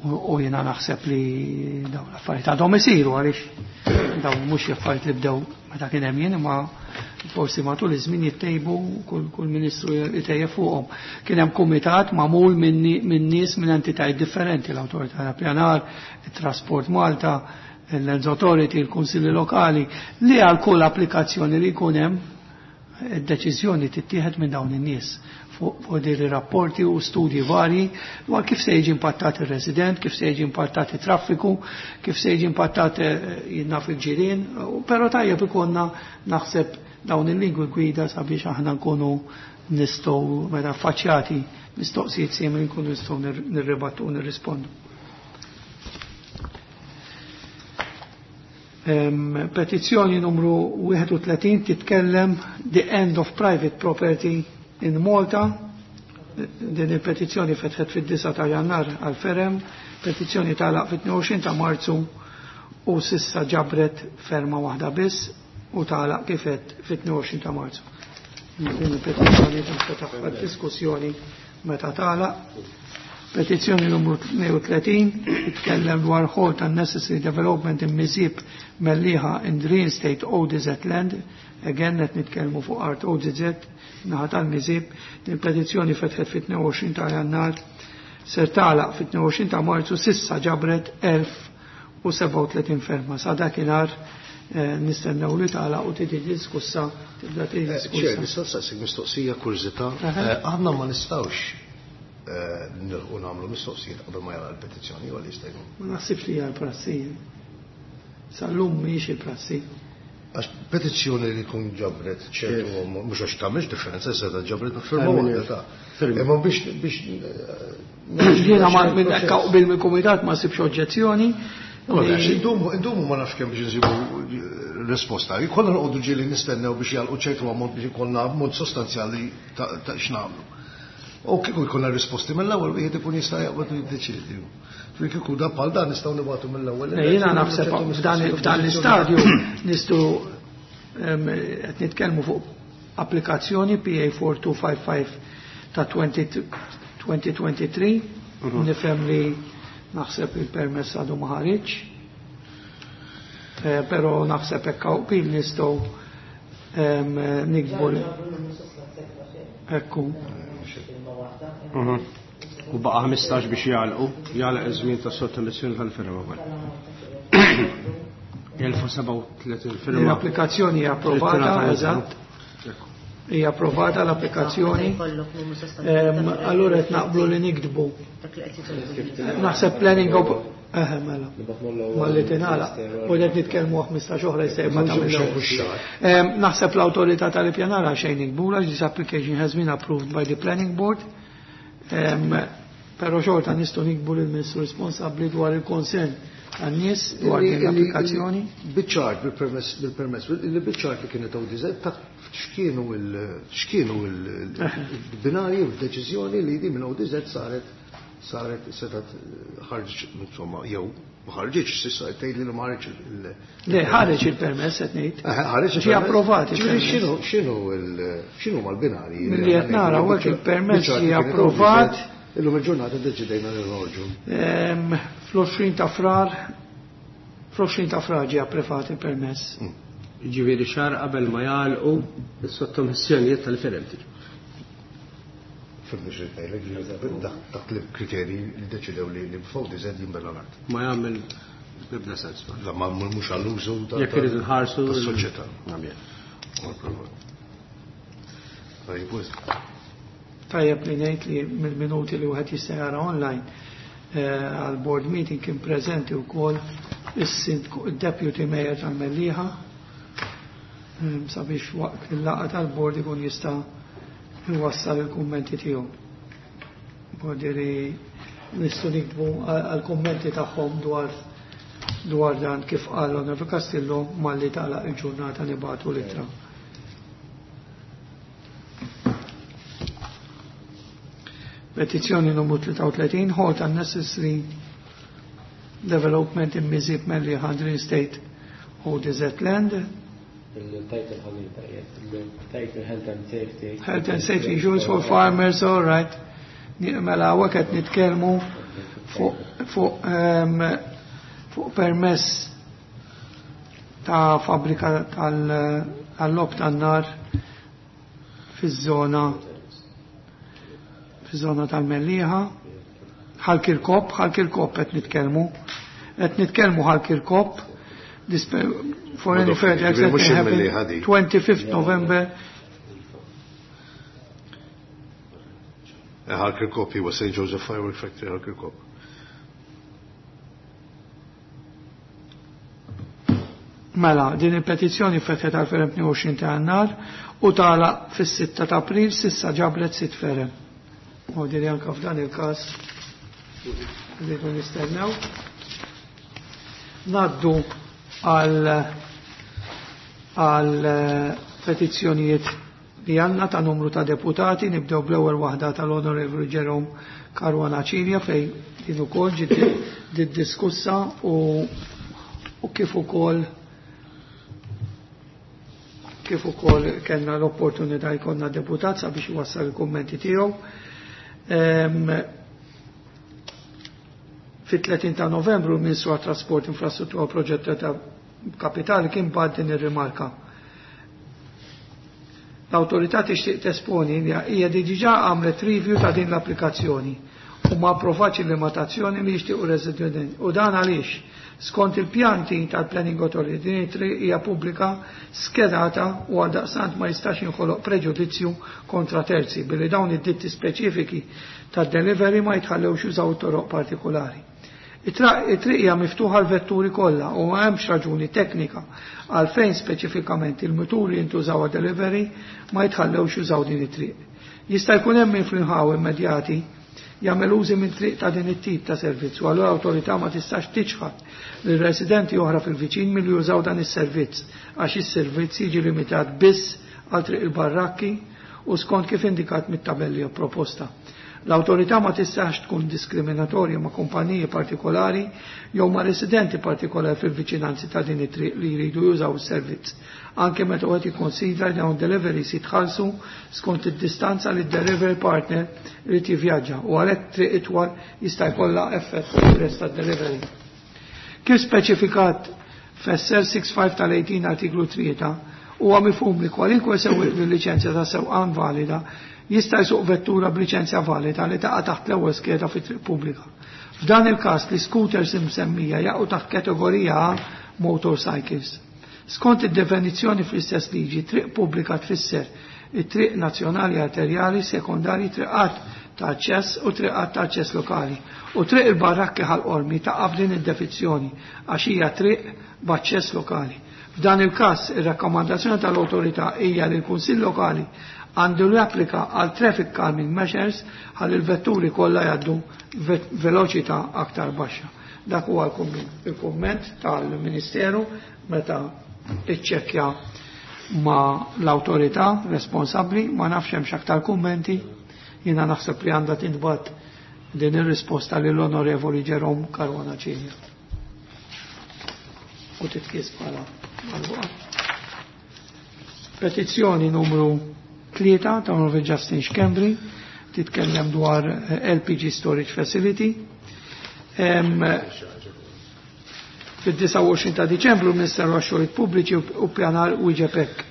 u jiena naħseb li dawn l-affarijiet għadhom isiru għaliex dawn mhux affarijiet li bdew meta kien hemm jien imma forsi matul iż-żmien jittejbu kull ministru jitejjeb fuqhom. Kien hemm kumitat magħmul minn nies minn entitajiet differenti, l-Awtorità tal-Pjanar, it-Trasport Malta, l-Lands Authority, il-Kunsilli Lokali, li għal kull applikazzjoni li jkun hemm id-deċiżjoni tittieħed minn dawn in-nies fuq din rapporti u studji varji dwar kif se jiġi impattat ir-resident, kif se jiġi impattat it-traffiku, kif se jiġi impattat jinnaf il-ġirien, però tajjeb ikollna naħseb dawn il-lingwi gwida sabiex aħna nkunu nistgħu meta affaċċjati mistoqsijiet simili nkunu nistgħu nirribattu u nirrispondu. Petizzjoni numru 31 titkellem the end of private property in Malta. Din il-petizzjoni fetħet fid-9 ta' Jannar għal Ferem, petizzjoni tagħlaq fit-22 ta' Marzu u sissa ġabret ferma waħda biss u tagħlaq kifet fit-22 ta' Marzu. Din il-petizzjoni tinfetaħ diskussjoni meta tagħlaq. Petizzjoni numru 32 titkellem dwar halt unnecessary development in Miżieb Mellieħa in Reinstate ODZ Land. Again qed nitkellmu fuq art ODZ naħa tal-Miżieb. Din il-petizzjoni fetħet fit-22 ta' Jannar ser tagħlaq fit-22 ta' Marzu sissa ġabret 1037 ferma. Sa dakinhar nistennew li tagħlaq u tiġi diskussa, tibda tiġi diskussa. Chair, nista' nsaqsik mistoqsija kurżità. Aħna ma nistgħux nilħqu nagħmlu mistoqsijiet qabel ma jara l-petizzjoni jew li jista' jkun. Ma naħsibx li hija l-prassi. Sal-lum mhijiex il-prassi. Għax petizzjoni li jkun ġabret ċertu mhux għax tagħmilx differenza issa ta' ġabret firma waħda ta'. Imma biex Jiena ma minn hekk qbil mill-kumitat ma sibx oġġezzjoni. Ma nafx, indumu ma nafx kemm biex nsibu risposta. Jkollna noqogħdu ġieli nistennew biex jagħlqu ċertu ammont biex ikollna ammont sostanzjali ta' x'nagħmlu. U kieku jkollna risposti mill-ewwel wieħed ikun jista' jaqbad u jiddeċiedi. Fi kieku da bħal dan nistgħu nibgħatu mill-ewwel. Jiena naħseb f'dan l-istadju nistgħu qed nitkellmu fuq applikazzjoni PA 4255 ta' 2023. Nifhem li naħseb il-permess għadu ma ħariġ. Però naħseb hekk hawn qbil nistgħu nikbu Ekku. U baqa' 15 biex jagħlqu, jagħlaq iż-żmien tas-sottomissjoni tal-firma wkoll. 1037 firma. L-applikazzjoni hija approvata, eżatt. Hija approvata l-applikazzjoni. Allura qed naqblu li nikdbu. Naħseb planning of mela. Malli tingħalaq. U qed nitkellmu 15 oħra jista' jibqa' tagħmel. Naħseb l-awtorità tal-ippjanar għal xejn nikbula, this application has been approved by the planning board. Però xorta nistgħu nikbu lill-Ministru responsabbli dwar il-konsern għan-nies dwar din l-applikazzjoni. Biċ-ċar, bil-permess, li biċ-ċar li kienet ODZ ta' x'kienu il-binarji u d-deċiżjoni li di minn ODZ saret setat ħarġ, insomma, jew ma ħarġitx s'issa tgħid li ma ħareġ il- Le, ħareġ il-permess qed ngħid. Ħareġ Ġie approvat Ġifieri il-permess. x'inhu mal-binarji? Milli qed nara hawnhekk il-permess ġie approvat. Illum il-ġurnata ddeċidejna li noħorġu. Fl-20 ta' Frar, fl-20 ta' Frar ġie approvat il-permess. Ġifieri xahar qabel ma jagħlqu is-sottomissjonijiet tal-firem tiġi. Fimni xi ngħidlek, ġifieri taħt il-kriterji li deċidew li b'FODZ jinbena l-art. Ma jagħmel ebda sens. La ma mhux għall-użu Jekk irid nħarsu tas-soċjetà. Nagħmel. Tajjeb, wisq. Tajjeb li ngħid li mill-minuti li wieħed jista' jara online għal board meeting kien preżenti wkoll is-sindku, il-deputy mayor tal-Mellieħa, sabiex waqt il-laqgħa tal-board ikun jista' jwassal il-kummenti tiegħu. Bodiri nistgħu nikbu għal-kummenti tagħhom dwar dan kif qal l-Onorevoli Castillo malli tagħlaq il-ġurnata nibagħtu l-ittra. Petizzjoni numru 33, halt unnecessary development in Miżieb Mellieħa Green State ODZ Land. Il-title ħażin tajjeb, il-title Health and Safety. Health and Safety Issues for Farmers, all right. Mela hawnhekk qed nitkellmu fuq permess ta' fabbrika tal-lob tan-nar fiż-żona tal-Mellieħa. Ħal Kirkop, Ħal Kirkop qed nitkellmu. Qed nitkellmu Ħal Kirkop. This for any Madonna, further ġifieri mhux acceptance happen il-Mellieħa di. 25th November. Ħal Kirkop huwa Saint Joseph Firework Factory Ħal Kirkop. Mela, din il-petizzjoni fetħet għal ferem 22 ta' Jannar u tala fis-6 ta' April sissa ġabret 6 ferem. U diri anka f'dan il-każ rridu nistennew. Naddu għal petizzjonijiet li għandna ta' numru ta' deputati, nibdew bl-ewwel waħda tal-Onorevoli Jerome Caruana Cilia fej din ukoll ġiet diskussa u kif ukoll kellna l-opportunità jkollna deputat sabiex iwassal il-kummenti tiegħu. Fit-30 ta' Novembru l-Ministru għat-Trasport, Infrastruttura u Proġetti ta' Kapitali kien bagħat din ir-rimarka. L-awtorità tixtieq tesponi li hija diġà għamlet review ta' din l-applikazzjoni u ma approvatx il-limitazzjoni li jixtiequ residenti. U dan għaliex skont il-pjanti tal-Planning Authority din it-triq hija pubblika skedata u għaldaqstant ma jistax jinħoloq preġudizzju kontra terzi billi dawn id-ditti speċifiki tad-delivery ma jitħallewx jużaw toroq partikolari. It-triq hija miftuħa għal vetturi kollha u ma hemmx raġuni teknika għalfejn speċifikament il-muturi jintużaw għad delivery ma jitħallewx jużaw din it-triq. Jista' jkun hemm min fl-inħaw immedjati jagħmel użi minn triq ta' din it-tip ta' servizz u allura l-awtorità ma tistax tiċħad lil residenti oħra fil-viċin milli jużaw dan is-servizz għax is-servizz jiġi limitat biss għal triq il-barrakki u skont kif indikat mit-tabelli proposta. L-awtorità ma tistax tkun diskriminatorja ma' kumpaniji partikolari jew ma' residenti partikolari fil-viċinanzi ta' din it-triq li jridu jużaw is-servizz, anke meta wieħed jikkonsidra li dawn deliveries jitħallsu skont id-distanza li d-delivery partner irid jivvjaġġa u għalhekk triq itwal jista' jkollha effett fuq il-prezz tad-delivery. Kif speċifikat f'SL 65 tal-18 artiklu 3 huwa mifhum li kwalinkwe sewwieq bil-liċenzja ta' sewqan valida jista' jsuq vettura b'liċenzja valida li taqa' taħt l-ewwel skeda fit-triq pubblika. F'dan il-każ li scooters imsemmija jaqgħu taħt kategorija A motorcycles. Skont id-definizzjoni fl-istess liġi, triq pubblika tfisser it-triq nazzjonali arterjali, sekondari, triqat ta' aċċess u triqat ta' aċċess lokali. U triq il-barrakki Ħal Qormi taqa' f'din id-definizzjoni għax hija triq b'aċċess lokali. F'dan il-każ, ir-rakkomandazzjoni tal-awtorità hija li l-Kunsill Lokali għandu japplika għal traffic calming measures ħalli l-vetturi kollha jgħaddu veloċità aktar baxxa. Dak huwa l-kumment tal-Ministeru meta iċċekkja ma l-awtorità responsabbli, ma nafx hemmx aktar kummenti, jiena naħseb li għandha tintbagħat din ir-risposta lill-Onorevoli Jerome Caruana Cilia. U titqies bħala magħluqa. Petizzjoni numru 3 ta' Onorevoli Justin Schembri titkellem dwar LPG Storage Facility. Fid-29 ta' Diċembru l-Ministeru għax-Xogħlijiet Pubbliċi u Pjanar wieġeb hekk.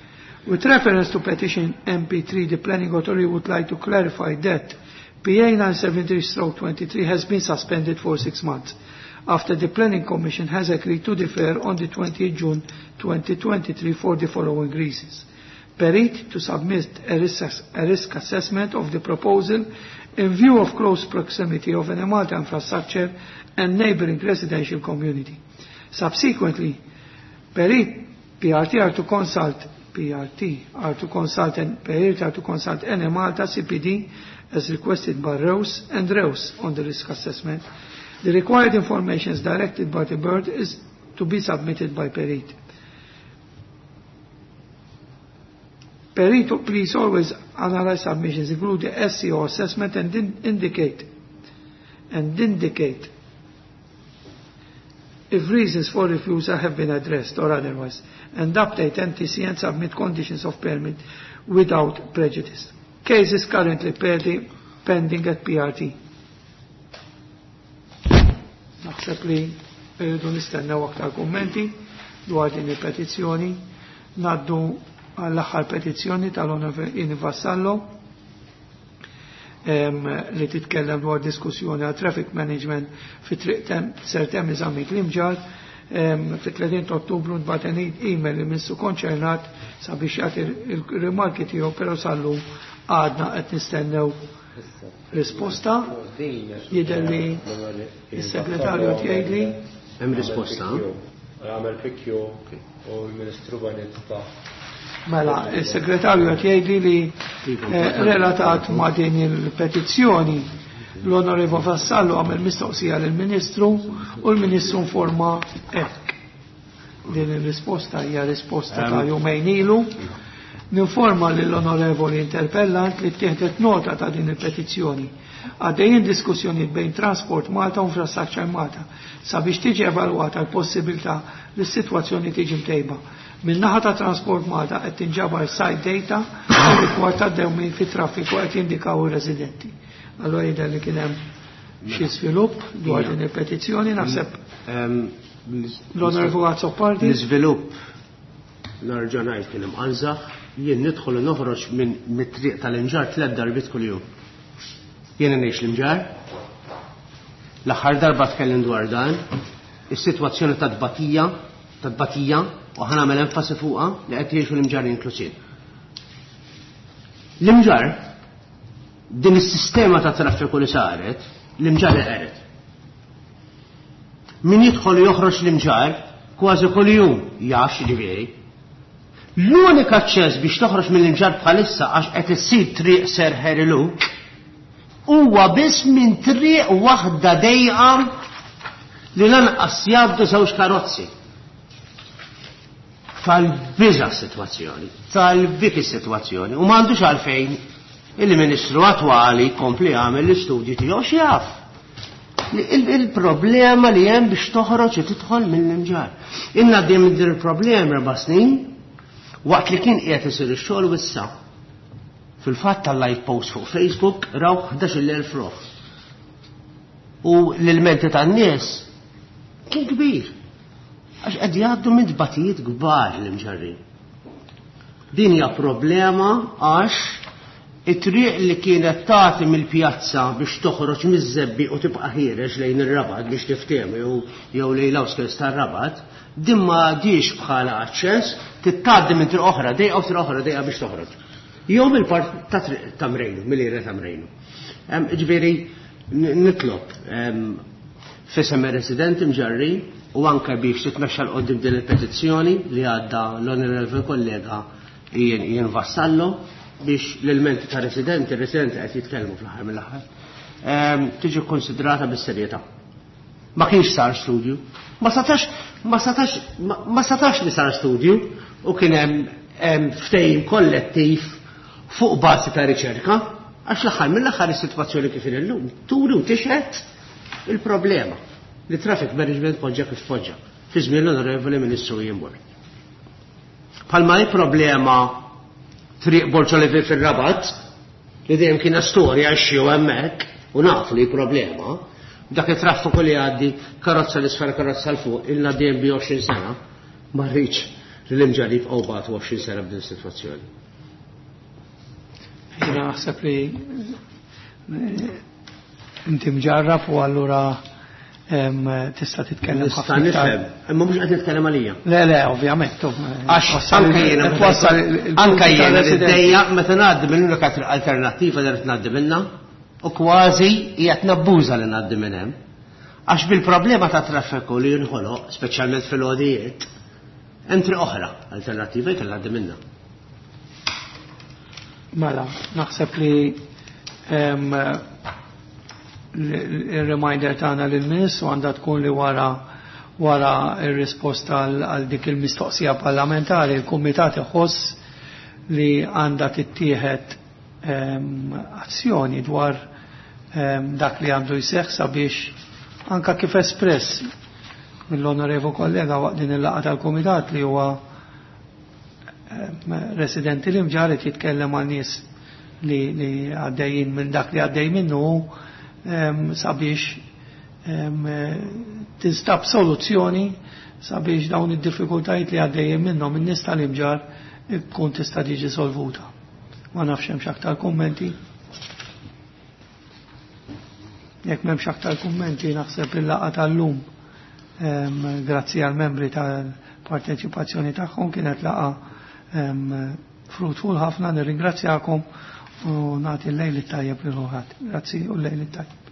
With reference to petition MP3, the Planning Authority would like to clarify that PA 973-23 has been suspended for 6 months after the Planning Commission has agreed to defer on the 20th June 2023 for the following reasons. Perit to submit a risk assessment of the proposal in view of close proximity of Enemalta infrastructure and neighboring residential community. Subsequently, Perit PRT are to consult PRT are to consult and Perit are to consult Enemalta CPD as requested by Rose and Rose on the risk assessment. The required information is directed by the bird is to be submitted by Perit. Perito, please always analyze submissions, include the SEO assessment and indicate if reasons for refusal have been addressed or otherwise, and update NTC and submit conditions of permit without prejudice. Case is currently pending at PRT. Naħseb li rridu nistennew aktar kummenti dwar din il-petizzjoni. Naddu għall-aħħar petizzjoni tal-Onorevoli Vassallo li titkellem dwar diskussjoni għal traffic management fi triq Sir Temi Zammit Limġar. Fit-30 ta' Ottubru nbagħat email li missu konċernat sabiex jagħti il-rimarki tiegħu, però sallum għadna qed nistennew risposta. Jidher li s-segretarju jgħidli hemm risposta. Għamel PQ u l-Ministru Banit ta' Mela, il-segretarju qed jgħidli li relatat ma' din il-petizzjoni l-Onorevo Vassallo għamel mistoqsija lill-Ministru u l-Ministru informa hekk. Din ir-risposta hija risposta ta' jumejn ilu. Ninforma lill-Onorevoli interpellant li ttieħdet nota ta' din il-petizzjoni. Għaddejjin diskussjonijiet bejn Transport Malta u Infrastructure Malta sabiex tiġi evalwata l-possibilità li s-sitwazzjoni tiġi mtejba. Min-naħa ta' Transport Malta qed tinġabar site data rigward ta' dewmien fit-traffiku qed jindikaw ir-residenti. Allora jidher li kien hemm xi żvilupp dwar din il-petizzjoni, naħseb l-Onorevoli Azzopardi. L-iżvilupp nerġa' ngħid kien imqanżaħ, jien nidħol u noħroġ minn mit-triq tal-Imġarr 3 darbiet kuljum. Jiena ngħix l-Imġarr. L-aħħar darba tkellim dwar dan, is-sitwazzjoni ta' tbatija, ta' tbatija, u ħa nagħmel enfasi fuqha li qed jgħixu l-Imġarr inklusiv. L-Imġarr, din is-sistema ta' traffiku li saret, l-Imġarr qeret. Min jidħol u joħroġ l-Imġarr kważi kuljum jaf x'ġifieri. L-unika aċċess biex toħroġ mill-Imġarr bħalissa għax qed issir triq Sir Harry Luke huwa biss minn triq waħda dejqa li lanqas jgħaddu żewġ karozzi. Tal-biża' s-sitwazzjoni, tal-biki s-sitwazzjoni, u m'għandux għalfejn il-Ministru attwali kompli jagħmel l-istudji tiegħu x'jaf. Il-problema li hemm biex toħroġ u tidħol mill-Imġarr. Inna għaddejjem din il-problema 4 snin waqt li kien qiegħed isir ix-xogħol u issa. Fil-fatt tal-live post fuq Facebook raw 11,000 ruħ. U l-ilmenti tan-nies kien kbir. Għax qed jgħaddu minn tbatijiet kbar l-Imġarrin. Din hija problema għax it-triq li kienet tagħti mill-pjazza biex toħroġ miż-żebbi u tibqa' ħiereġ lejn ir-Rabat biex tiftehmu jew lejn l-outskirts tar-Rabat, din ma għadix bħala aċċess, titgħaddi minn triq oħra dejqa u triq oħra dejqa biex toħroġ. Jew mill-part ta' triq ta' Mrejnu, mill-ira ta' Mrejnu. Ġifieri nitlob. F'isem ir-residenti Mġarrin u anke biex titmexxa 'l quddiem din il-petizzjoni li għadda l-Onorevoli Kollega Ian Ian Vassallo biex l-ilmenti ta' residenti, residenti qed jitkellmu fl-aħħar mill-aħħar, tiġi kkonsidrata bis-serjetà. Ma kienx sar studju. Ma setax, ma setax, ma setax li sar studju u kien hemm ftehim kollettiv fuq bażi ta' riċerka, għax l-aħħar mill-aħħar is-sitwazzjoni kif inhi llum turi u tixhed il-problema li traffic management poġġa kif poġġa fi żmien l-Onorevoli Ministru Ian Borg. Bħalma hi problema Triq Borġ Olivier fir-Rabat, li dejjem kienet storja x-xew hemmhekk u nafu li hi problema, dak it-traffiku li jgħaddi karozza 'l isfel karozza 'l fuq ilna dejjem bi 20 sena, ma rridx li l-Imġarr jibqgħu bagħtu 20 sena b'din is-sitwazzjoni. Jiena naħseb li inti mġarrab u allura tista' titkellem ħafna. Nista' nifhem, imma mhux qed nitkellem għalija. Le, le, ovvjament. Għax anke jiena anke jiena niddejja meta ngħaddi minn l-unika alternattiva li rrid ngħaddi minnha u kważi qiegħed nabbuża li ngħaddi minn hemm. Għax bil-problema ta' traffiku li jinħoloq, speċjalment fil-għodijiet, hemm triq oħra alternattiva jkella ngħaddi minnha. Mela, naħseb li il-reminder tagħna lill-Ministru għandha tkun li wara wara r-risposta għal dik il-mistoqsija parlamentari il-Kumitat iħoss li għandha tittieħed azzjoni dwar dak li għandu jseħħ sabiex anka kif espress mill-onorevu kollega waqt din il-laqgħa tal-Kumitat li huwa residenti li mġaret jitkellem għal nies li, li għaddejjin minn dak li għaddej minnu sabiex tinstab soluzzjoni sabiex dawn id-diffikultajiet li għaddejjin minnhom in-nies tal-imġar tkun tista' tiġi solvuta. Ma nafx hemmx aktar kummenti. Jekk m'hemmx aktar kummenti naħseb il-laqgħa tal-lum grazzi għal membri tal-parteċipazzjoni tagħhom kienet laqgħa fruitful ħafna nirringrazzjakom u nagħti l-lejl it-tajjeb lil kulħadd. Grazzi u l-lejl it-tajjeb.